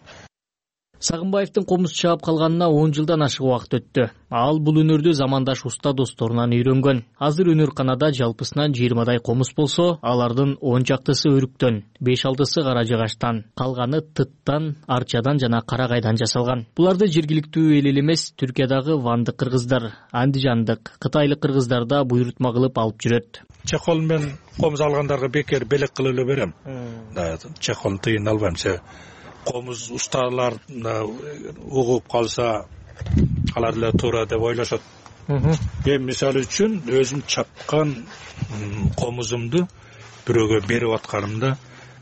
Сагынбаевдин комуз чаап калганына 10 жылдан ашык убакыт өттү. Ал бул өнөрдү замандаш уста досторунан үйрөнгөн. Азыр өнөрканада жалпысынан 20дай комуз болсо, алардын 10 чактысы өрүктөн, 5-6сы кара жыгачтан, калганы тыттан, арчадан жана карагайдан жасалган. Буларды жергиликтүү эл эмес, Түркиядагы вандык кыргыздар, андижандык, кытайлык кыргыздар да буйрутма кылып алып жүрөт. Чехол мен комуз алгандарга бекер белек кылып эле берем. Чехолдун тыйын албайм. Комуз усталар угуп калса, алар эле туура деп ойлошот. Мен мисалы үчүн өзүм чапкан комузумду бирөөгө берип атканымда,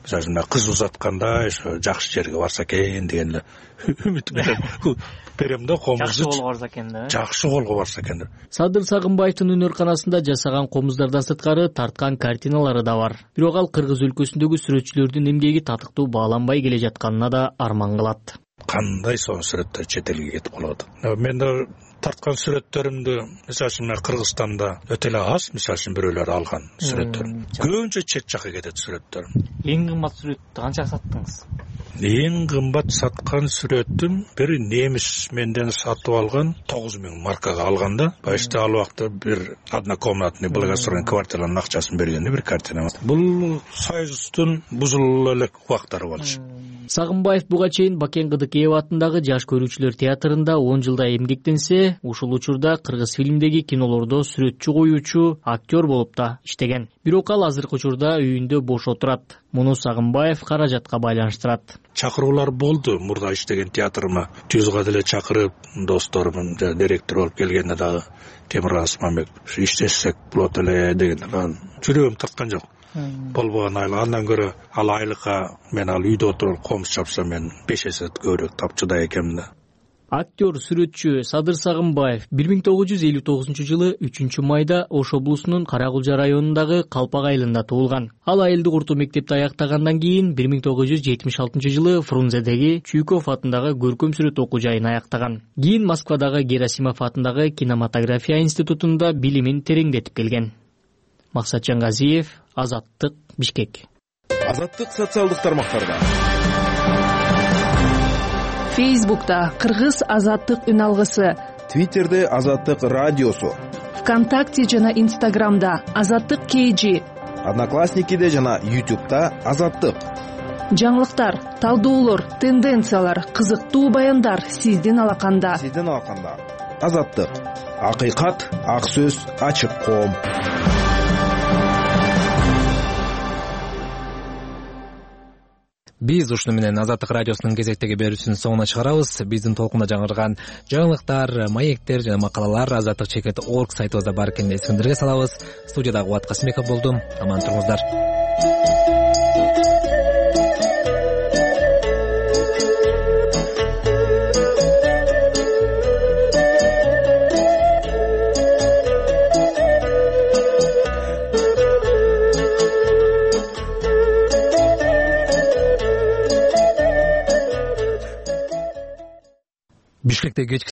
мисалы кыз узатканда жакшы жерге барса экен деген эле үмүт менен берем да комузду. Жакшы колго барса экен да. Жакшы колго барса экен деп. Садыр Сагынбаевдин өнөрканасында жасаган комуздардан сырткары тарткан картиналары да бар. Бирок ал кыргыз өлкөсүндөгү сүрөтчүлөрдүн эмгеги татыктуу бааланбай келе жатканына да арман кылат. Кандай сонун сүрөттөр чет элге кетип калып атат. Мен да тарткан сүрөттөрүмдү мисалы үчүн Кыргызстанда өтө эле аз, мисалы үчүн бирөөлөр алган сүрөттөр. Көбүнчө чет жака кетет сүрөттөр. Эң кымбат сүрөттү канчага саттыңыз? Эң кымбат саткан сүрөтүм бир немис менден сатып алган 9000 маркага алганда, башта ал убакта бир однокомнатный благоустроенный квартиранын акчасын бергенде бир картина. Бул Союздун бузулуп элек убактары болчу. Сагынбаев буга чейин Бакен Кыдыкеев атындагы жаш көрүүчүлөр театрында 10 жылдай эмгектенсе, ушул учурда кыргыз фильмдеги кинолордо сүрөтчү коюучу, актер болуп да иштеген. Бирок ал азыркы учурда үйүндө бош отурат. Муну Сагынбаев каражатка байланыштырат. Чакыруулар болду мурда иштеген театрыма. Түзгө деле чакырып, досторумун директор болуп келгенде дагы Темир Асманбек иштешсек болот эле дегенде жүрөгүм тарткан жок. Болбогон андан көрө ал айлыкка мен ал үйдө отуруп комуз чапсам мен 5 эсе көбүрөөк тапчыдай экенмин да. Актер, сүрөтчү Садыр Сагынбаев 1959-жылы 3 майда Ош облусунун Каракулжа районундагы Калпак айылында туулган. Ал айылдык орто мектепти аяктагандан кийин 1976-жылы Фрунзедеги Чуйков атындагы көркөм сүрөт окуу жайын аяктаган. Кийин Москвадагы Герасимов атындагы кинематография институтунда билимин тереңдетип келген. Максатжан Газиев, Азаттык, Бишкек. Азаттык социалдык тармактарда. Фейсбукта Кыргыз Азаттык үн алгысы, Твиттерде Азаттык радиосу, ВКонтакте жана Инстаграмда Азаттык KG, Одноклассникиде жана YouTube'да Азаттык. Жаңылыктар, талдоолор, тенденциялар, кызыктуу баяндар сиздин алаканда. Азаттык. Акыйкат, ак сөз, ачык коом. Биз ушуну менен Азаттык радиосунун кезектеги берүүсүнүн соңуна чыгарабыз. Биздин толкунда жаңырган жаңылыктар, маектер жана макалалар Азаттык чекит орг сайтыбызда бар экенин эсиңиздерге салабыз. Студияда Кубат Касымбеков болдум. Аман туруңуздар. Бишкектеги кечки